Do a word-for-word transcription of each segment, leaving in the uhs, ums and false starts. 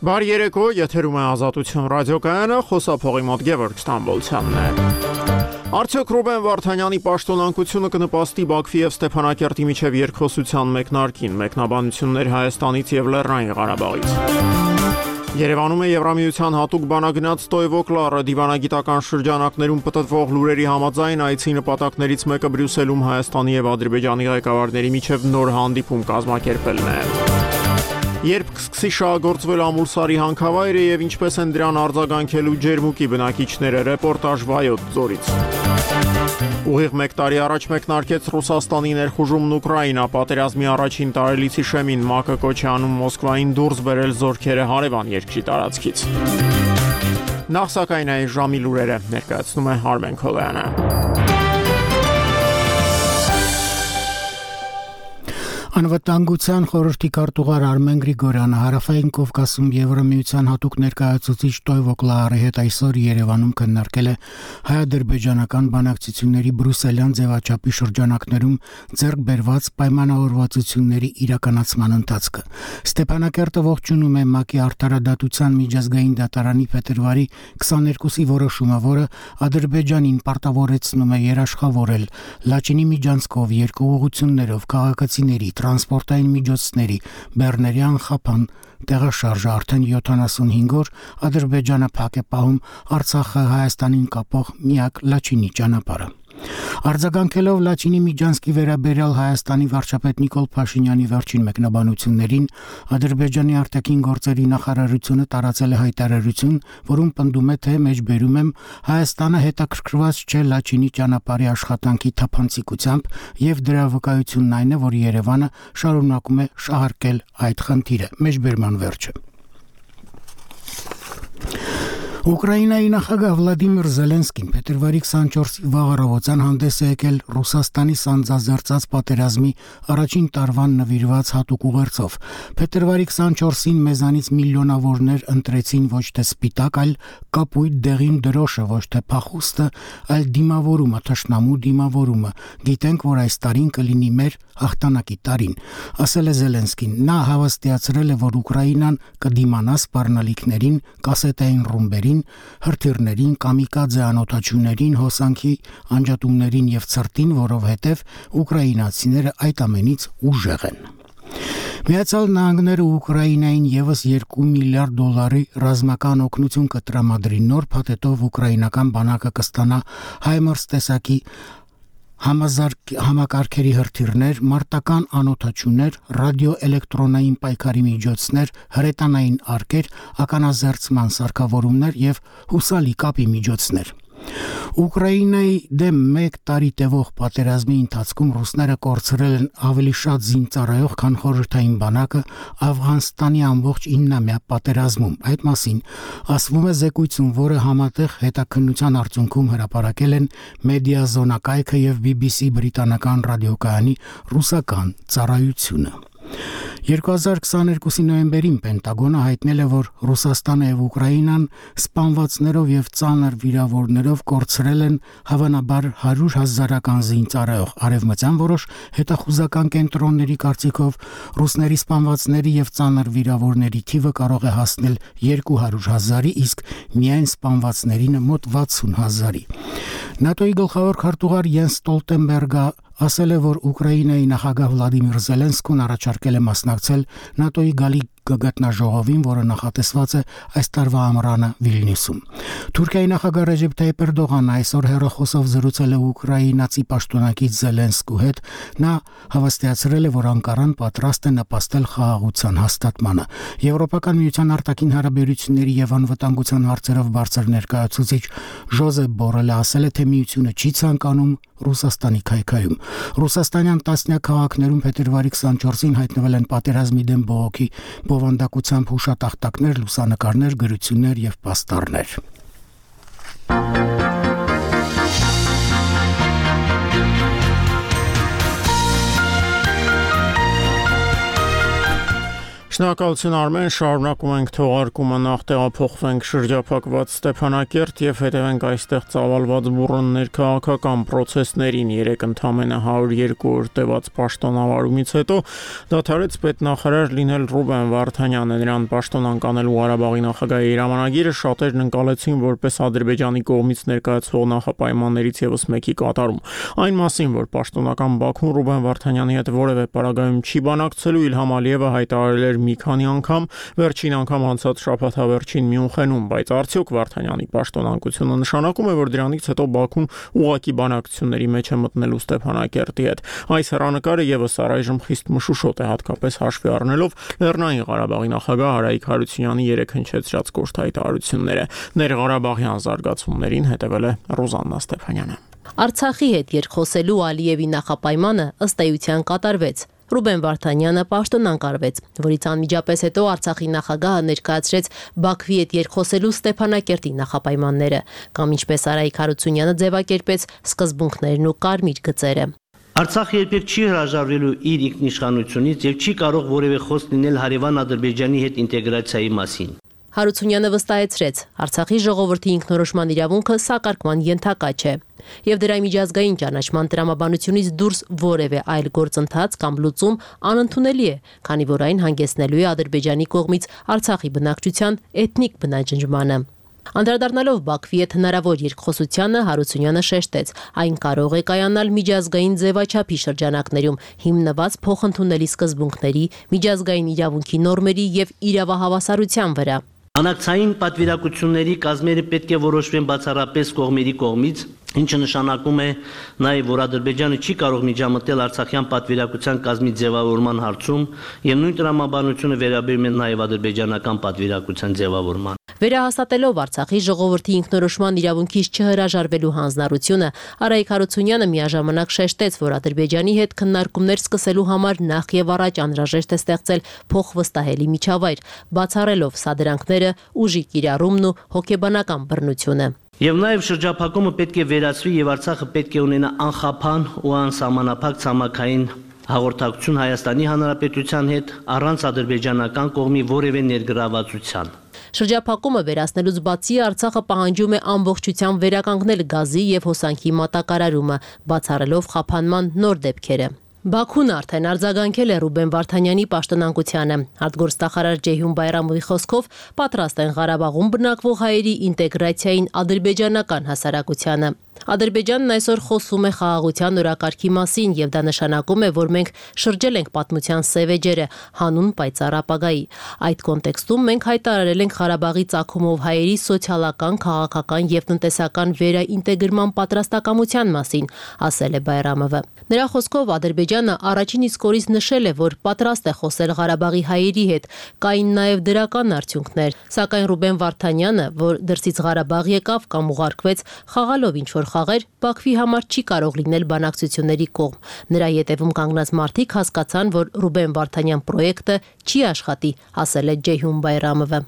Բարի երեկո, եթերում է Ազատություն ռադիոկայանը, խոսափողի մոտ Գևորգ Ստամբոլցյանն է։ Արդյոք Ռուբեն Վարդանյանի պաշտոնանկությունը կնպաստի Բաքվի եւ Ստեփանակերտի միջև երկխոսության մեկնարկին, մեկնաբանություններ Հայաստանից եւ Լեռնային Ղարաբաղից։ Երևանում է Եվրամիության հատուկ բանագնաց Տոյվոկլարը դիվանագիտական շրջանակներում պտտվող լուրերի համաձայն այցի նպատակներից մեկը Բրյուսելում Հայաստանի եւ Ադրբեջանի ղեկավարների միջև նոր հանդիպում կազմակերպելն է։ Երբ կսկսի շահագործվել Ամուլսարի հանքավայրը եւ ինչպես են դրան արձագանքելու Ջերմուկի բնակիչները, ռեպորտաժ Վայոց ձորից։ Ուղիղ մեկ տարի առաջ մեկնարկեց Ռուսաստանի ներխուժումն Ուկրաինա, պատերազմի առաջին տարելիցի շեմին ՄԱԿ-ը կոչ է անում Մոսկվային դուրս բերել զորքերը հարևան երկրի տարածքից։ Նախ սակայն այս ժամի լուրերը ներկայացնում է Արմեն Քոլյանը։ Անվտանգության խորհրդի քարտուղար Արմեն Գրիգորյանը Հարավային Կովկասում Եվրամիության հատուկ ներկայացուցիչ Տոյվոկլարի հետ այսօր Երևանում քննարկել է հայ-ադրբեջանական բանակցությունների բրյուսելյան ձևաչափի շրջանակներում ձեռք բերված պայմանավորվածությունների իրականացման ընթացքը։ Ստեփանակերտը ողջունում է ՄԱԿ-ի արդարադատության միջազգային դատարանի փետրվարի քսաներկուսի որոշումը, որը Ադրբեջանին պարտավորեցնում է երաշխավորել Լաչինի միջանցքով երկու ուղղություններով քաղաքացիների տրանսպորտային միջոցների Բեռներյան խափան տեղաշարժը արդեն յոթանասունհինգ օր Ադրբեջանը փակ է պահում Արցախը Հայաստանին կապող միակ Լաչինի ճանապարհը։ Արձագանքելով Լաչինի միջանցքի վերաբերյալ Հայաստանի վարչապետ Նիկոլ Փաշինյանի վերջին մեկնաբանություններին, Ադրբեջանի արտաքին գործերի նախարարությունը տարածել է հայտարարություն, որում պնդում է, թե մեջբերում եմ Հայաստանը հետաքրքրված չէ Լաչինի ճանապարհի աշխատանքի թափանցիկությամբ եւ դրա վկայությունն այն է, որ Երևանը շարունակում է շահարկել այդ խնդիրը։ Մեջբերման վերջը։ Ուկրաինայի նախագահ Վլադիմիր Զելենսկին փետրվարի քսանչորսի վաղ առավոտյան հանդես է եկել Ռուսաստանի սանձազերծած պատերազմի առաջին տարվան նվիրված հատուկ ուղերձով։ Փետրվարի քսանչորսին մեզանից միլիոնավորներ ընտրեցին ոչ թե սպիտակ, այլ կապույտ դեղին դրոշը, ոչ թե փախուստը, այլ դիմավորումը, թշնամու դիմավորումը։ Գիտենք, որ այս տարին կլինի մեր հաղթանակի տարին, ասել է Զելենսկին։ Նա հավաստիացրել է, որ Ուկրաինան կդիմանա սպառնալիքներին, կասետային ռումբերին, հրթիռներին, կամիկադզե անօթաչուներին, հոսանքի անջատումներին եւ ցրտին, որովհետեւ ուկրաինացիները այդ ամենից ուժեղ են։ Միացյալ Նահանգները Ուկրաինային եւս երկու միլիարդ դոլարի ռազմական օգնություն կտրամադրի, նոր փաթեթով ուկրաինական բանակը կստանա Հայմարս տեսակի համակարգերի հրթիռներ, մարտական անօթաչուներ, ռադիոէլեկտրոնային պայքարի միջոցներ, հրետանային արկեր, ականազերծման սարքավորումներ եւ հուսալի կապի միջոցներ։ Ուկրաինայի դեմ մեկ տարի տևող պատերազմի ընթացքում ռուսները կորցրել են ավելի շատ զինծառայող, քան խորհրդային բանակը Աֆղանստանի ամբողջ իննամյա պատերազմում։ Այդ մասին ասվում է զեկույցում, որը համատեղ հետաքննության արդյունքում հրապարակել են Մեդիազոնա կայքը եւ բի բի սի բրիտանական ռադիոկայանի ռուսական ծառայությունը։ երկու հազար քսաներկուսի նոյեմբերին Պենտագոնը հայտնել է, որ Ռուսաստանը եւ Ուկրաինան սպանվածներով եւ ծանր վիրավորներով կորցրել են հավանաբար հարյուր հազարական զինծառայող։ Արևմտյան որոշ հետախուզական կենտրոնների կարծիքով ռուսների սպանվածների եւ ծանր վիրավորների թիվը կարող է հասնել երկու հարյուր հազարի, իսկ միայն սպանվածներինը մոտ վաթսուն հազարի։ ՆԱՏՕ-ի գլխավոր քարտուղար Յենս Ստոլտենբերգը ասել է, որ Ուկրաինայի նախագահ Վլադիմիր Զելենսկին առաջարկել է մասնակցել ՆԱՏՕ-ի գալիք գագաթնաժողովին, որը նախատեսված է այս տարվա ամռանը Վիլնյուսում։ Թուրքիայի նախագահ Ռեջեփ Թայիփ Էրդողանը այսօր հեռախոսով զրուցել է ուկրաինացի պաշտոնակից Զելենսկու հետ։ Նա հավաստիացրել է, որ Անկարան պատրաստ է նպաստել խաղաղության հաստատմանը։ Եվրոպական միության արտաքին հարաբերությունների եւ անվտանգության հարցերով բարձր ներկայացուցիչ Ժոզեփ Բորելը ասել է, թե միությունը չի ցանկանում Ռուսաստանի քայքայում։ Ռուսաստանյան տասնյակ քաղաքներում փետրվարի քսանչորսին հայտնվել են պատերազմի դեմ բողոքի բովանդակությամբ հուշատախտակներ, լուսանկարներ, գրություններ եւ պաստառներ։ Շնորհակալություն Արմեն, շարունակում ենք թողարկումը, նախ տեղափոխվենք շրջափակված Ստեփանակերտ եւ հետևենք այստեղ ծավալված բուռններ քաղաքական process-ներին։ Երեք ընդամենը հարյուր երկու օր տևած պաշտոնավարումից հետո դադարեց պետնախարար լինել Ռուբեն Վարդանյանը, նրան պաշտոնանկ անելու Ղարաբաղի նախագահի հրամանագիրը շատերն ընկալեցին որպես Ադրբեջանի կողմից ներկայացվող նախապայմաններից եւս մեկի կատարում։ Այն մասին, որ պաշտոնական Բաքուն Ռուբեն Վարդանյանի հետ որևէ պարագայում չի բանակցելու, Իլհամ Ալիևը հայտարարել էր մի քանի անգամ, վերջին անգամ անցած շաբաթավերջին Մյունխենում, բայց արդյոք Վարդանյանի պաշտոնանկությունը նշանակում է, որ դրանից հետո Բաքուն ուղղակի բանակցությունների մեջ է մտնելու Ստեփանակերտի հետ։ Այս հեռանկարը եւս առայժմ խիստ մշուշոտ է, հատկապես հաշվի առնելով Լեռնային Ղարաբաղի նախագահ Արայիկ Հարությունյանի երեք հնչեցրած կոշտ հայտարարությունները։ Ներղարաբաղյան զարգացումներին հետևել է Ռոզաննա Ստեփանյանը։ Արցախի հետ երկխոսելու Ալիևի նախապայմանը ըստ էության կատարվեց։ Ռուբեն Վարդանյանը պաշտոնանկարվեց, որից անմիջապես հետո Արցախի նախագահը ներկայացրեց Բաքվի հետ երկխոսելու Ստեփանակերտի նախապայմանները, կամ ինչպես Արայիկ Հարությունյանը ձևակերպեց սկզբունքներն ու կարմիր գծերը։ Արցախը երբեք չի հրաժարվելու իր ինքնիշխանությունից եւ չի կարող որևէ խոսք լինել հարևան Ադրբեջանի հետ ինտեգրացիայի մասին։ Հարությունյանը վստահեցրեց, Արցախի ժողովրդի ինքնորոշման իրավունքը սակարկման ենթակա չէ, եւ դրա միջազգային ճանաչման տրամաբանությունից դուրս որևէ այլ գործընթաց կամ լուծում անընդունելի է, քանի որ այն հանգեցնելու է Ադրբեջանի կողմից Արցախի բնակչության էթնիկ բնաջնջմանը։ Անդրադառնալով Բաքվի հետ հնարավոր երկխոսությանը, Հարությունյանը շեշտեց, այն կարող է կայանալ միջազգային ձևաչափի շրջանակներում, հիմնված փոխընդունելի սկզբունքների, միջազգային իրավունքի նորմերի եւ իրավահավասարության վրա։ Բանակցային պատվիրակությունների կազմերը պետք է որոշվեն բացառապես կողմերի կողմից, ինչը նշանակում է նաև, որ Ադրբեջանը չի կարող միջամտել Արցախյան պատվիրակության կազմի ձևավորման հարցում, եւ նույն տրամաբանությունը վերաբերում է նաև ադրբեջանական պատվիրակության ձևավորման։ Վերահաստատելով Արցախի ժողովրդի ինքնորոշման իրավունքից չհրաժարվելու հանձնառությունը, Արայիկ Հարությունյանը միաժամանակ շեշտեց, որ Ադրբեջանի հետ քննարկումներ սկսելու համար նախ եւ առաջ անհրաժեշտ է ստեղծել փոխվստահելի միջավայր, բացառելով սադրանքները, ուժի կիրառումն ու հոգեբանական բռնությունը։ Եվ նաև շրջափակումը պետք է վերացվի եւ Արցախը պետք է ունենա անխափան ու անսահմանափակ ցամաքային հաղորդակցություն Հայաստանի Հանրապետության հետ առանց ադրբեջանական կողմի որևէ ներգրավվածության։ Շրջափակումը վերացնելուց բացի Արցախը պահանջում է ամբողջությամբ վերականգնել գազի եւ հոսանքի մատակարարումը, բացառելով խափանման նոր դեպքերը։ Բաքուն արդեն արձագանքել է Ռուբեն Վարդանյանի պաշտոնանկությանը։ Արտգործնախարար Ջեյհուն Բայրամովի խոսքով պատրաստ են Ղարաբաղում բնակվող հայերի ինտեգրացիային ադրբեջանական հասարակությանը։ Ադրբեջանն այսօր խոսում է խաղաղության օրակարգի մասին եւ դա նշանակում է, որ մենք շրջել ենք պատմության սև էջերը հանուն պայծառ ապագայի։ Այդ կոնտեքստում մենք հայտարարել ենք Ղարաբաղի ծագումով հայերի սոցիալական, քաղաքական եւ տնտեսական վերաինտեգրման պատրաստակամության մասին, ասել է Բայրամովը։ Նրա խոսքով Ադրբեջանը առաջին իսկ օրից նշել է, որ պատրաստ է խոսել Ղարաբաղի հայերի հետ, կային նաեւ դրական արդյունքներ, սակայն Ռուբեն Վարդանյանը, որ դրսից Ղարաբաղ եկավ կամ ուղարկվեց խաղալով ինչ որ խաղեր, Բաքվի համար չի կարող լինել բանակցությունների կողմ։ Նրա ետևում կանգնած մարդիկ հասկացան, որ Ռուբեն Վարդանյան պրոյեկտը չի աշխատի, ասել է Ջեյհուն Բայրամովը։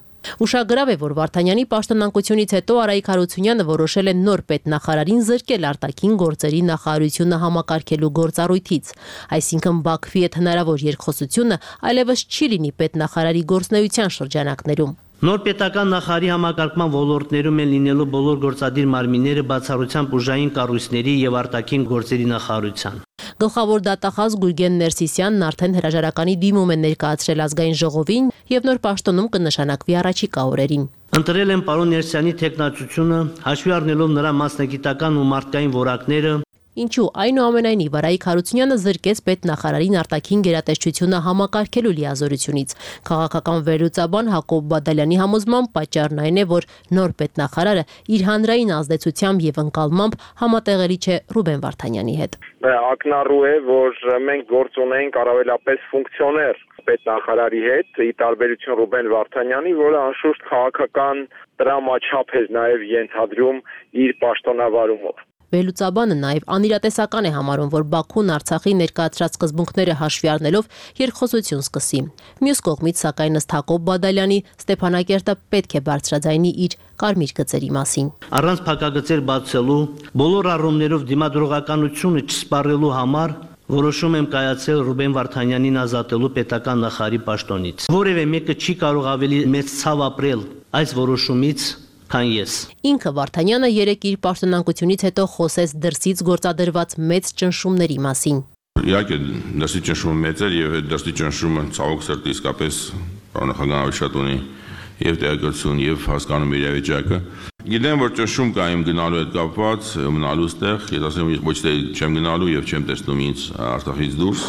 Ուշագրավ է, որ Վարդանյանի պաշտոնանկությունից հետո Արայիկ Հարությունյանը որոշել է նոր պետնախարարին զրկել արտաքին գործերի նախարարությունը համակարգելու գործառույթից։ Այսինքն Բաքվի հետ հնարավոր երկխոսությունը այլևս չի լինի պետնախարարի գործնեության շրջանակներում։ Նոր պետական նախարարի համակարգման ոլորտներում են լինելու բոլոր գործադիր մարմինները բացառությամբ ուժային կառույցների եւ արտաքին գործերի նախարարության։ Գլխավոր դատախազ Գուրգեն Ներսիսյանն արդեն հրաժարականի դիմում է ներկայացրել ազգային ժողովին եւ նոր պաշտոնում կնշանակվի առաջիկա օրերին։ Ընտրել են պարոն Ներսյանի թեկնածությունը, հաշվի առնելով նրա մասնագիտական ու մարդկային որակները, Ինչու այնուամենայնիվ Արայիկ Հարությունյանը զրկեց պետնախարարին արտաքին գերատեսչությունը համակարգելու լիազորությունից։ Քաղաքական վերլուծաբան Հակոբ Բադալյանի համոզմամբ պատճառն այն է, որ նոր պետնախարարը իր հանրային ազդեցությամբ եւ ընկալմամբ համատեղելի չէ Ռուբեն Վարդանյանի հետ։ Ակնառու է, որ մենք գործ ունենք առավելապես ֆունկցիոներ պետնախարարի հետ, ի տարբերություն Ռուբեն Վարդանյանի, որը անշուշտ քաղաքական տրամաչափ է նաեւ ենթադրում իր պաշտոնավարումով։ Վերլուծաբանը նաև անիրատեսական է համարում, որ Բաքուն Արցախի ներկայացրած սկզբունքները հաշվի առնելով երկխոսություն սկսի։ Մյուս կողմից, սակայն ըստ Հակոբ Բադալյանի, Ստեփանակերտը պետք է բարձրաձայնի իր կարմիր գծերի մասին։ Առանց փակագծեր բացելու, բոլոր առումներով դիմադրողականությունը չսպառելու համար Որոշում եմ կայացել Ռուբեն Վարդանյանին ազատելու պետական նախարարի պաշտոնից։ Որևէ մեկը չի կարող ավելի մեծ ցավ ապրել այս որոշումից, քան ես։ Ինքը Վարդանյանը երեկ իր պաշտոնանկությունից հետո խոսեց դրսից գործադրված մեծ ճնշումների մասին։ Իհարկե, դրսի ճնշումը մեծ էր եւ այդ դրսի ճնշումը ցավոք սրտի իսկապես պարոնախագահ շատ ունի եւ տեղեկատվություն եւ հասկանում իրավիճակը։ Գիտեմ, որ ճնշում կա իմ գնալու հետ կապված, մնալու ստեղ, ես ասեմ ոչ թե չեմ գնալու եւ չեմ տեսնում ինձ Արցախից դուրս։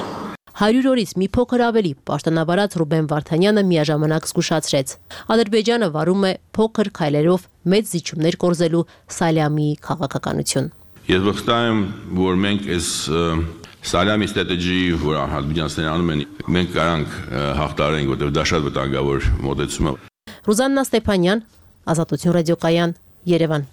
հարյուր օրից մի փոքր ավելի պաշտոնավարած Ռուբեն Վարդանյանը միաժամանակ զգուշացրեց. Ադրբեջանը վարում է փոքր քայլերով մեծ զիջումներ կորզելու Սալյամի քաղաքականություն։ Ես վստահ եմ, որ մենք այս Սալյամի ստրատեգիայի, որ ադրբեջանցիներն անում են, մենք կարանք հաղթարենք, որտեղ դա շատ վտանգավոր մոտեցում է։ Ռուզաննա Ստեփանյան, Ազատություն ռադիոկայան, Երևան։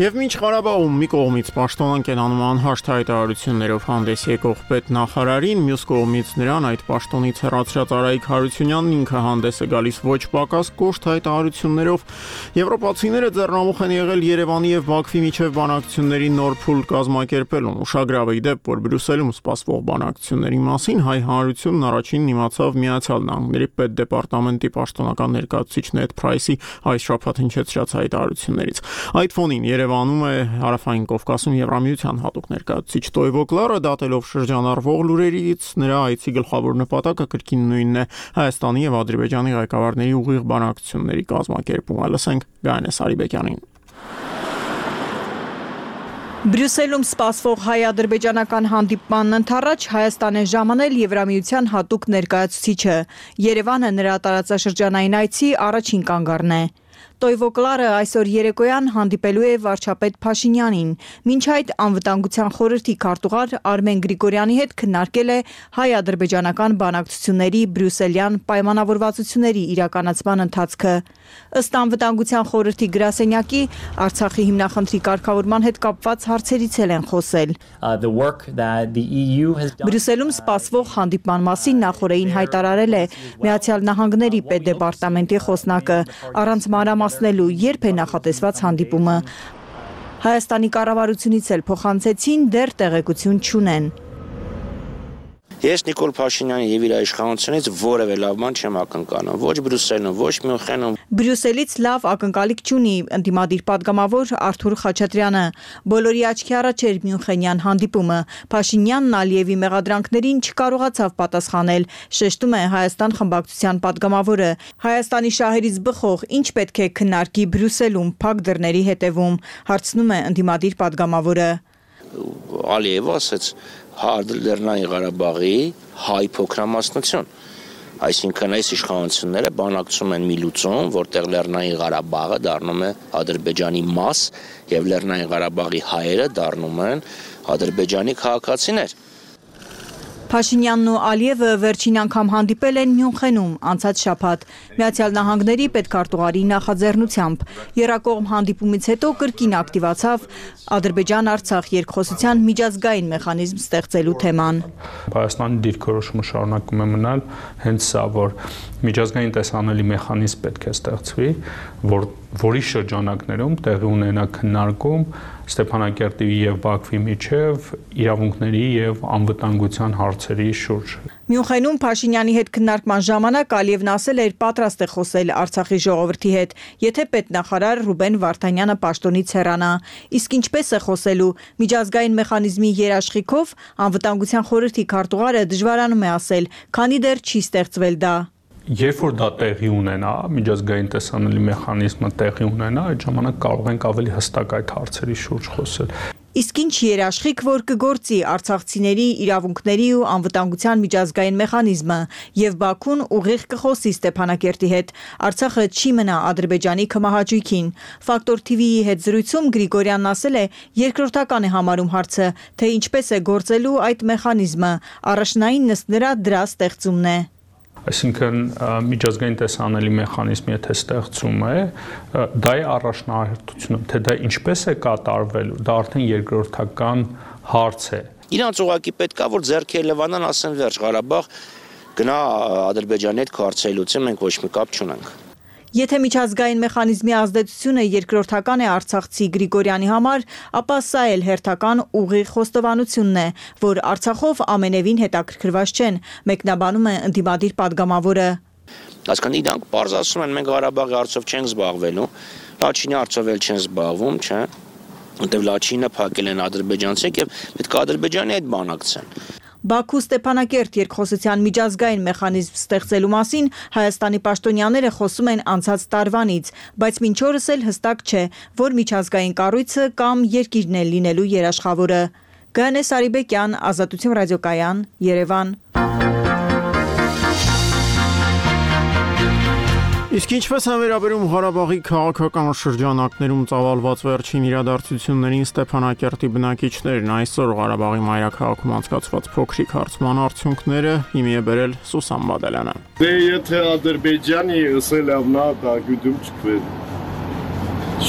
Եվ մինչ Ղարաբաղում մի կողմից պաշտոնանկ են անում անհաշտ հայտարարություններով հանդես եկող պետնախարարին, մյուս կողմից նրան այդ պաշտոնից հեռացրած Արայիկ Հարությունյանն ինքը հանդես է գալիս ոչ պակաս կոշտ հայտարարություններով, եվրոպացիները ձեռնամուխ են եղել Երևանի եւ Բաքվի միջև բանակցությունների նոր փուլ կազմակերպելուն։ Ուշագրավ է դեպ, որ Բրյուսելում սպասվող բանակցությունների մասին հայ հանրությունն առաջինն իմացավ Միացյալ Նահանգների պետդեպարտամենտի պաշտոնական ներկայացուցիչ Նեդ Փրայսի այս շաբաթ հնչեցրած հայտարարություններից։ Այդ ֆոնին Երևանում է Հարավային Կովկասում Եվրամիության հատուկ ներկայացուցիչ Տոյվո Կլարը, դատելով շրջանառվող լուրերից նրա այցի գլխավոր նպատակը կրկին նույնն է՝ Հայաստանի եւ Ադրբեջանի ղեկավարների ուղիղ բանակցությունների կազմակերպումը։ Լսենք Գայանե Սարիբեկյանին։ Բրյուսելում սպասվող հայ-ադրբեջանական հանդիպմանն ընդառաջ Հայաստան է ժամանել Եվրամիության հատուկ ներկայացուցիչը։ Երևանը նրա տարածաշրջանային այցի առաջին կանգառն է։ Տոյվո Կլարը այսօր երեկոյան հանդիպելու է վարչապետ Փաշինյանին։ Մինչ այդ անվտանգության խորհրդի քարտուղար Արմեն Գրիգորյանի հետ քննարկել է հայ-ադրբեջանական բանակցությունների բրյուսելյան պայմանավորվածությունների իրականացման ընթացքը։ Ըստ անվտանգության խորհրդի գրասենյակի, Արցախի հիմնախնդրի կարգավորման հետ կապված հարցերից են խոսել։ Բրյուսելում սպասվող հանդիպման մասին նախորդին հայտարարել է Միացյալ Նահանգների պետդեպարտամենտի խոսնակը, առանց մանրամասնելու երբ է նախատեսված հանդիպումը։ Հայաստանի կառավարությունից էլ փոխանցեցին, դեռ տեղեկություն չունեն։ Ես Նիկոլ Փաշինյանի եւ իր իշխանությունից որևէ լավ բան չեմ ակնկալում, ոչ Բրյուսելում, ոչ Մյունխենում։ Բրյուսելից լավ ակնկալիք չունի ընդդիմադիր падգամավոր Արթուր Խաչատրյանը։ Բոլորի աչքի առաջ էր Մյունխենյան հանդիպումը։ Փաշինյանն Ալիևի մեղադրանքներին չկարողացավ պատասխանել, շեշտում է Հայաստան խմբակցության падգամավորը։ Հայաստանի շահերից բխող ինչ պետք է քննարկի Բրյուսելում փակ դռների հետևում, հարցնում է ընդդիմադիր падգամավորը։ Ալիևը ասաց Լեռնային Ղարաբաղի հայ փոքրամասնություն, այսինքն այս իշխանությունները բանակցում են մի լուծում, որտեղ Լեռնային Ղարաբաղը դառնում է Ադրբեջանի մաս եւ Լեռնային Ղարաբաղի հայերը դառնում են Ադրբեջանի քաղաքացիներ։ Փաշինյանն ու Ալիևը վերջին անգամ հանդիպել են Մյունխենում անցած շաբաթ Միացյալ Նահանգների պետքարտուղարի նախաձեռնությամբ։ Եռակողմ հանդիպումից հետո կրկին ակտիվացավ Ադրբեջան-Արցախ երկխոսության միջազգային մեխանիզմ ստեղծելու թեման։ Հայաստանի դիրքորոշումը շարունակում է մնալ հենց սա, որ միջազգային տեսանելի մեխանիզմ պետք է ստեղծվի, որ որի շրջանակներում տեղի ունենա քննարկում Ստեփանակերտի եւ Բաքվի միջև իրավունքների եւ անվտանգության հարցերի շուրջ։ Մյունխենում Փաշինյանի հետ քննարկման ժամանակ Ալիևն ասել էր պատրաստ է խոսել Արցախի ժողովրդի հետ, եթե պետնախարար Ռուբեն Վարդանյանը պաշտոնից հեռանա։ Իսկ ինչպես է խոսելու միջազգային մեխանիզմի երաշխիքով, անվտանգության խորհրդի քարտուղարը դժվարանում է ասել, քանի դեռ չի ստեղծվել դա։ Երբ որ դա տեղի ունենա, միջազգային տեսանելի մեխանիզմը տեղի ունենա, այդ ժամանակ կարող ենք ավելի հստակ այդ հարցերի շուրջ խոսել։ Իսկ ինչ երաշխիք, որ կգործի արցախցիների իրավունքների ու անվտանգության միջազգային մեխանիզմը եւ Բաքուն ուղիղ կխոսի Ստեփանակերտի հետ, Արցախը չի մնա Ադրբեջանի կմահաճույքին։ Ֆակտոր թի վիի հետ զրույցում Գրիգորյանն ասել է, երկրորդական է համարում հարցը, թե ինչպես է գործելու այդ մեխանիզմը, առաջնային ըստ նրա դրա ստեղծումն է։ Այսինքն միջազգային տեսանելի մեխանիզմ եթե ստեղծում է, դա է առաջնահերթությունը, թե դա ինչպես է կատարվելու, դա արդեն երկրորդական հարց է։ Իրանց ուղղակի պետք է որ ձեռքերը լվանան, ասեն վերջ Ղարաբաղ գնա Ադրբեջանի հետ քարծեի լուծի, մենք ոչ մի կապ չունենք։ Եթե միջազգային մեխանիզմի ազդեցությունը երկրորդական է Արցախցի Գրիգորյանի համար, ապա սա էլ հերթական ուղիղ խոստովանությունն է, որ Արցախով ամենևին հետաքրքրված չեն, մեկնաբանում է ընդդիմադիր падգամավորը։ Հասկան իրանք պարզ ասում են, մենք Ղարաբաղի հարցով չենք զբաղվելու, Լաչինի հարցով էլ չեն զբաղվում, չէ՞։ Որտեւ Լաչինը փակել են ադրբեջանցիք եւ պետք է Ադրբեջանի հետ բանակցեն։ Բաքու Ստեփանակերտ երկխոսության միջազգային մեխանիզմ ստեղծելու մասին Հայաստանի պաշտոնյաները խոսում են անցած տարվանից, բայց մինչ օրս էլ հստակ չէ, որ միջազգային կառույցը կամ երկիրն է լինելու երաշխավորը։ Գանե Սարիբեկյան, Ազատություն ռադիոկայան, Երևան։ Իսկ ինչպես է վերաբերում Ղարաբաղի քաղաքական շրջանակներում ծավալված վերջին իրադարձություններին Ստեփանակերտի բնակիչներն այսօր Ղարաբաղի մայրաքաղաքում անցկացված փոքրիկ հարցման արդյունքները հիմի է բերել Սուսան Բադալյանը։ Դե եթե Ադրբեջանի ըսել ավնա դա գյուդում չկվեր։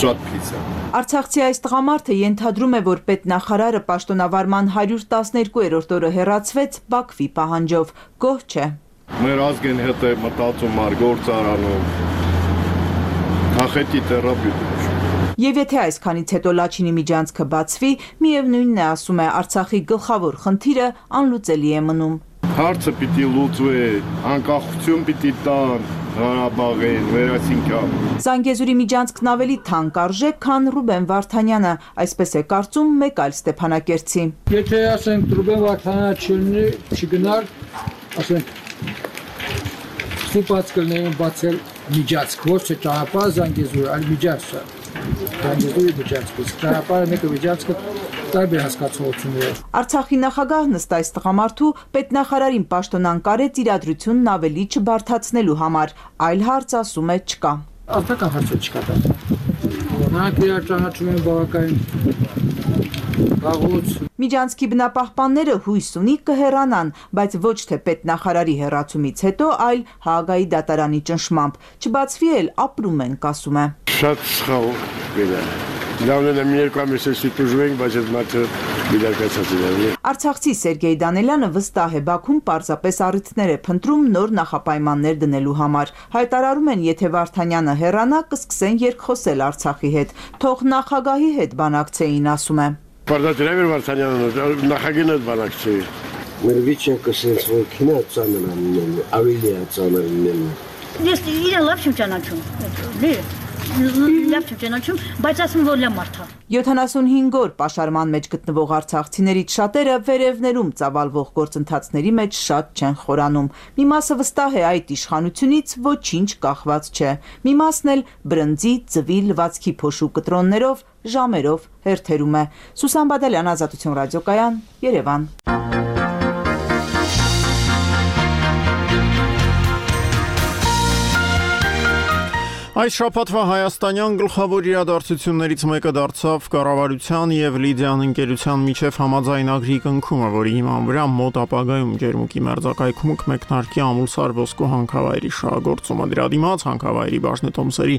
Շատ փիծ է։ Արցախցի այս տղամարդը ենթադրում է, որ պետնախարարը պաշտոնավարման հարյուր տասներկուերորդ օրը հեռացվեց Բաքվի պահանջով։ Գոհ չէ։ Մեր ազգին հետ է մտածում ար գործարանում, կախետի տերապյուտ։ Եվ եթե այսքանից հետո Լաչինի միջանցքը բացվի, միևնույնն է, ասում է, Արցախի գլխավոր խնդիրը անլուծելի է մնում։ Հարցը պիտի լուծվի, անկախություն պիտի տան Ղարաբաղին, վերացինքան։ Զանգեզուրի միջանցքն ավելի թանկ արժե, քան Ռուբեն Վարդանյանը, այսպես է կարծում մեկ այլ Ստեփանակերտցի։ Եթե ասենք Ռուբեն Վարդանյանը չլինի, չգնար, ասենք Սուպած կլնեին բացել միջացք, ոչ թե ճանապարհ Զանգեզուր, այլ միջացքը։ Զանգեզուրի միջացքը, ճանապարհը մեկը միջացքը տարբեր հասկացություններով։ Արցախի նախագահն ըստ այս տղամարդու պետնախարարին պաշտոնանկարեց իրադրությունն ավելի չբարթացնելու համար, այլ հարց ասում է չկա։ Արտական հարցը չկա դա։ Նրանք իրար ճանաչում են բավականին վաղուց։ Միջանցքի բնապահպանները հույս ունի կհեռանան, բայց ոչ թե պետնախարարի հեռացումից հետո, այլ Հաագայի դատարանի ճնշմամբ։ Չբացվի էլ ապրում ենք, ասում է։ Շատ սխալ գնա։ Լավն է մի երկու ամիս էսի տուժվենք, բայց այդ մատը բիդարկացած է։ Արցախցի Սերգեյ Դանելյանը վստահ է, Բաքուն պարզապես առիթներ է փնտրում նոր նախապայմաններ դնելու համար։ Հայտարարում են, եթե Վարդանյանը հեռանա, կսկսեն երկխոսել Արցախի հետ։ Թող նախագահի հետ բանակցեին, ասում է։ Պարտադիր է Վարդանյանը նախագահին հետ բանակցեի։ Մեր վիճակը sense որ քինա ծանրանում, ավելի է ծանրանում։ Ես իրեն լավ չեմ ճանաչում։ Լավ չեմ ճանաչում, բայց ասում որ լավ մարդ է։ յոթանասունհինգ օր պաշարման մեջ գտնվող արցախցիներից շատերը վերևներում ծավալվող գործընթացների մեջ շատ չեն խորանում։ Մի մասը վստահ է այդ իշխանությունից ոչինչ կախված չէ։ Մի մասն էլ բրնձի, ձվի, լվացքի փոշու կտրոններով, ժամերով հերթերում է։ Սուսան Բադալյան, Ազատություն ռադիոկայան, Երևան։ Այս շաբաթվա հայաստանյան գլխավոր իրադարձություններից մեկը դարձավ կառավարության եւ Լիդիան ընկերության միջև համաձայնագրի կնքումը, որի հիման վրա մոտ ապագայում Ջերմուկի մերձակայքում կմեկնարկի ամուլսար ոսկու հանքավայրի շահագործումը։ Դրա դիմաց հանքավայրի բաժնետոմսերի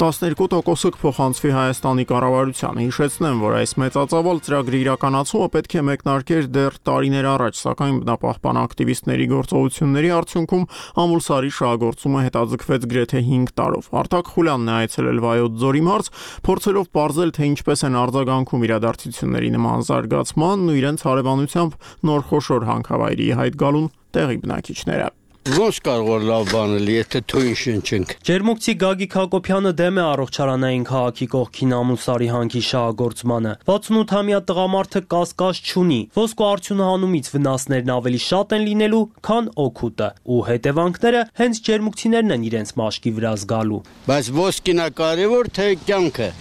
տասներկու տոկոսը կփոխանցվի Հայաստանի կառավարությանը։ Հիշեցնեմ, որ այս մեծածավալ ծրագրի իրականացումը պետք է մեկնարկեր դեռ տարիներ առաջ, սակայն բնապահպան ակտիվիստների գործողությունների արդյունքում ամուլսարի շահագործումը հետաձգվեց գրեթե հինգ տարով։ Արտակ Խուլյանն է այցելել Վայոց ձորի մարզ, փորձելով պարզել, թե ինչպես են արձագանքում իրադարձությունների նման զարգացմանն ու իրենց հարևանությամբ նոր խոշոր հանքավայրի հայտ գալուն տեղի բնակիչները։ Ոնց կարող է լավ բանել, եթե թույն շնչենք։ Ջերմուկցի Գագիկ Հակոբյանը դեմ է առողջարանային քաղաքի կողքին ամուլսարի հանքի շահագործմանը։ վաթսունութամյա տղամարդը կասկած չունի։ Ոսկու արդյունահանումից վնասներն ավելի շատ են լինելու, քան օգուտը, ու հետևանքները հենց ջերմուկցիներն են իրենց մաշկի վրա զգալու։ Բայց ոսկին է կարևոր, թե կյանքը։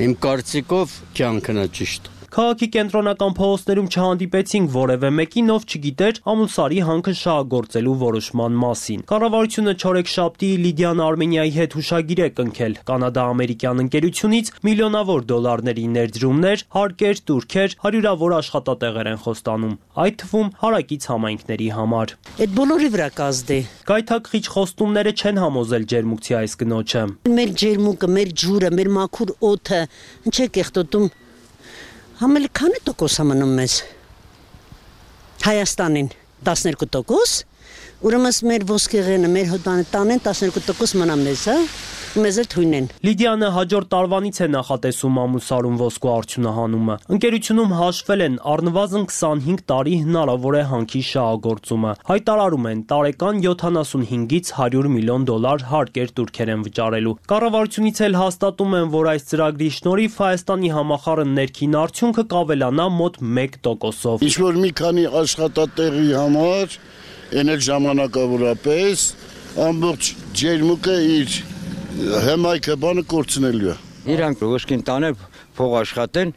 Իմ կարծիքով կյանքն է ճիշտ։ Քաղաքի կենտրոնական փողոցներում չհանդիպեցինք որևէ մեկին, ով չգիտեր ամուլսարի հանքը շահագործելու որոշման մասին։ Կառավարությունը չորեքշաբթի Լիդիան Արմենիայի հետ հուշագիր է կնքել կանադա-ամերիկյան ընկերությունից միլիոնավոր դոլարների ներդրումներ, հարկեր, տուրքեր, հարյուրավոր աշխատատեղեր են խոստանում, այդ թվում հարակից համայնքների համար։ Այդ բոլորի վրա կազդե։ Գայթակղիչ խոստումները չեն համոզել ջերմուկցի այս կնոջը։ Մեր ջերմուկը, մեր ջուրը, մեր մաքուր օդը, ինչ է կեղտոտում։ Համել քանի տոկոս է մնում մեզ։ Հայաստանին տասներկու տոկոս, Ուրեմն մեր ոսկեղենը, մեր հոդանը տանեն տասներկու տոկոս մնա մեզ, հա? Մեզ էլ թույն են։ Լիդիանը հաջորդ տարվանից է նախատեսում ամուսարում ոսկու արդյունահանումը։ Ընկերությունում հաշվել են առնվազն քսանհինգ տարի հնարավոր է հանքի շահագործումը։ Հայտարարում են տարեկան յոթանասունհինգից հարյուր միլիոն դոլար հարկեր турքեր են վճարելու։ Կառավարությունից էլ հաստատում են, որ այս ծրագրի շնորհիվ Հայաստանի համախառն ներքին արդյունքը կավելանա մոտ մեկ տոկոսով։ Ինչ-որ մի քանի աշխատատեղի համար, այն էլ ժամանակավորապես, ամբողջ ջերմուկը իր հեմայքը բանը կորցնելու է։ Իրանք ոսկին տանել փող աշխատեն,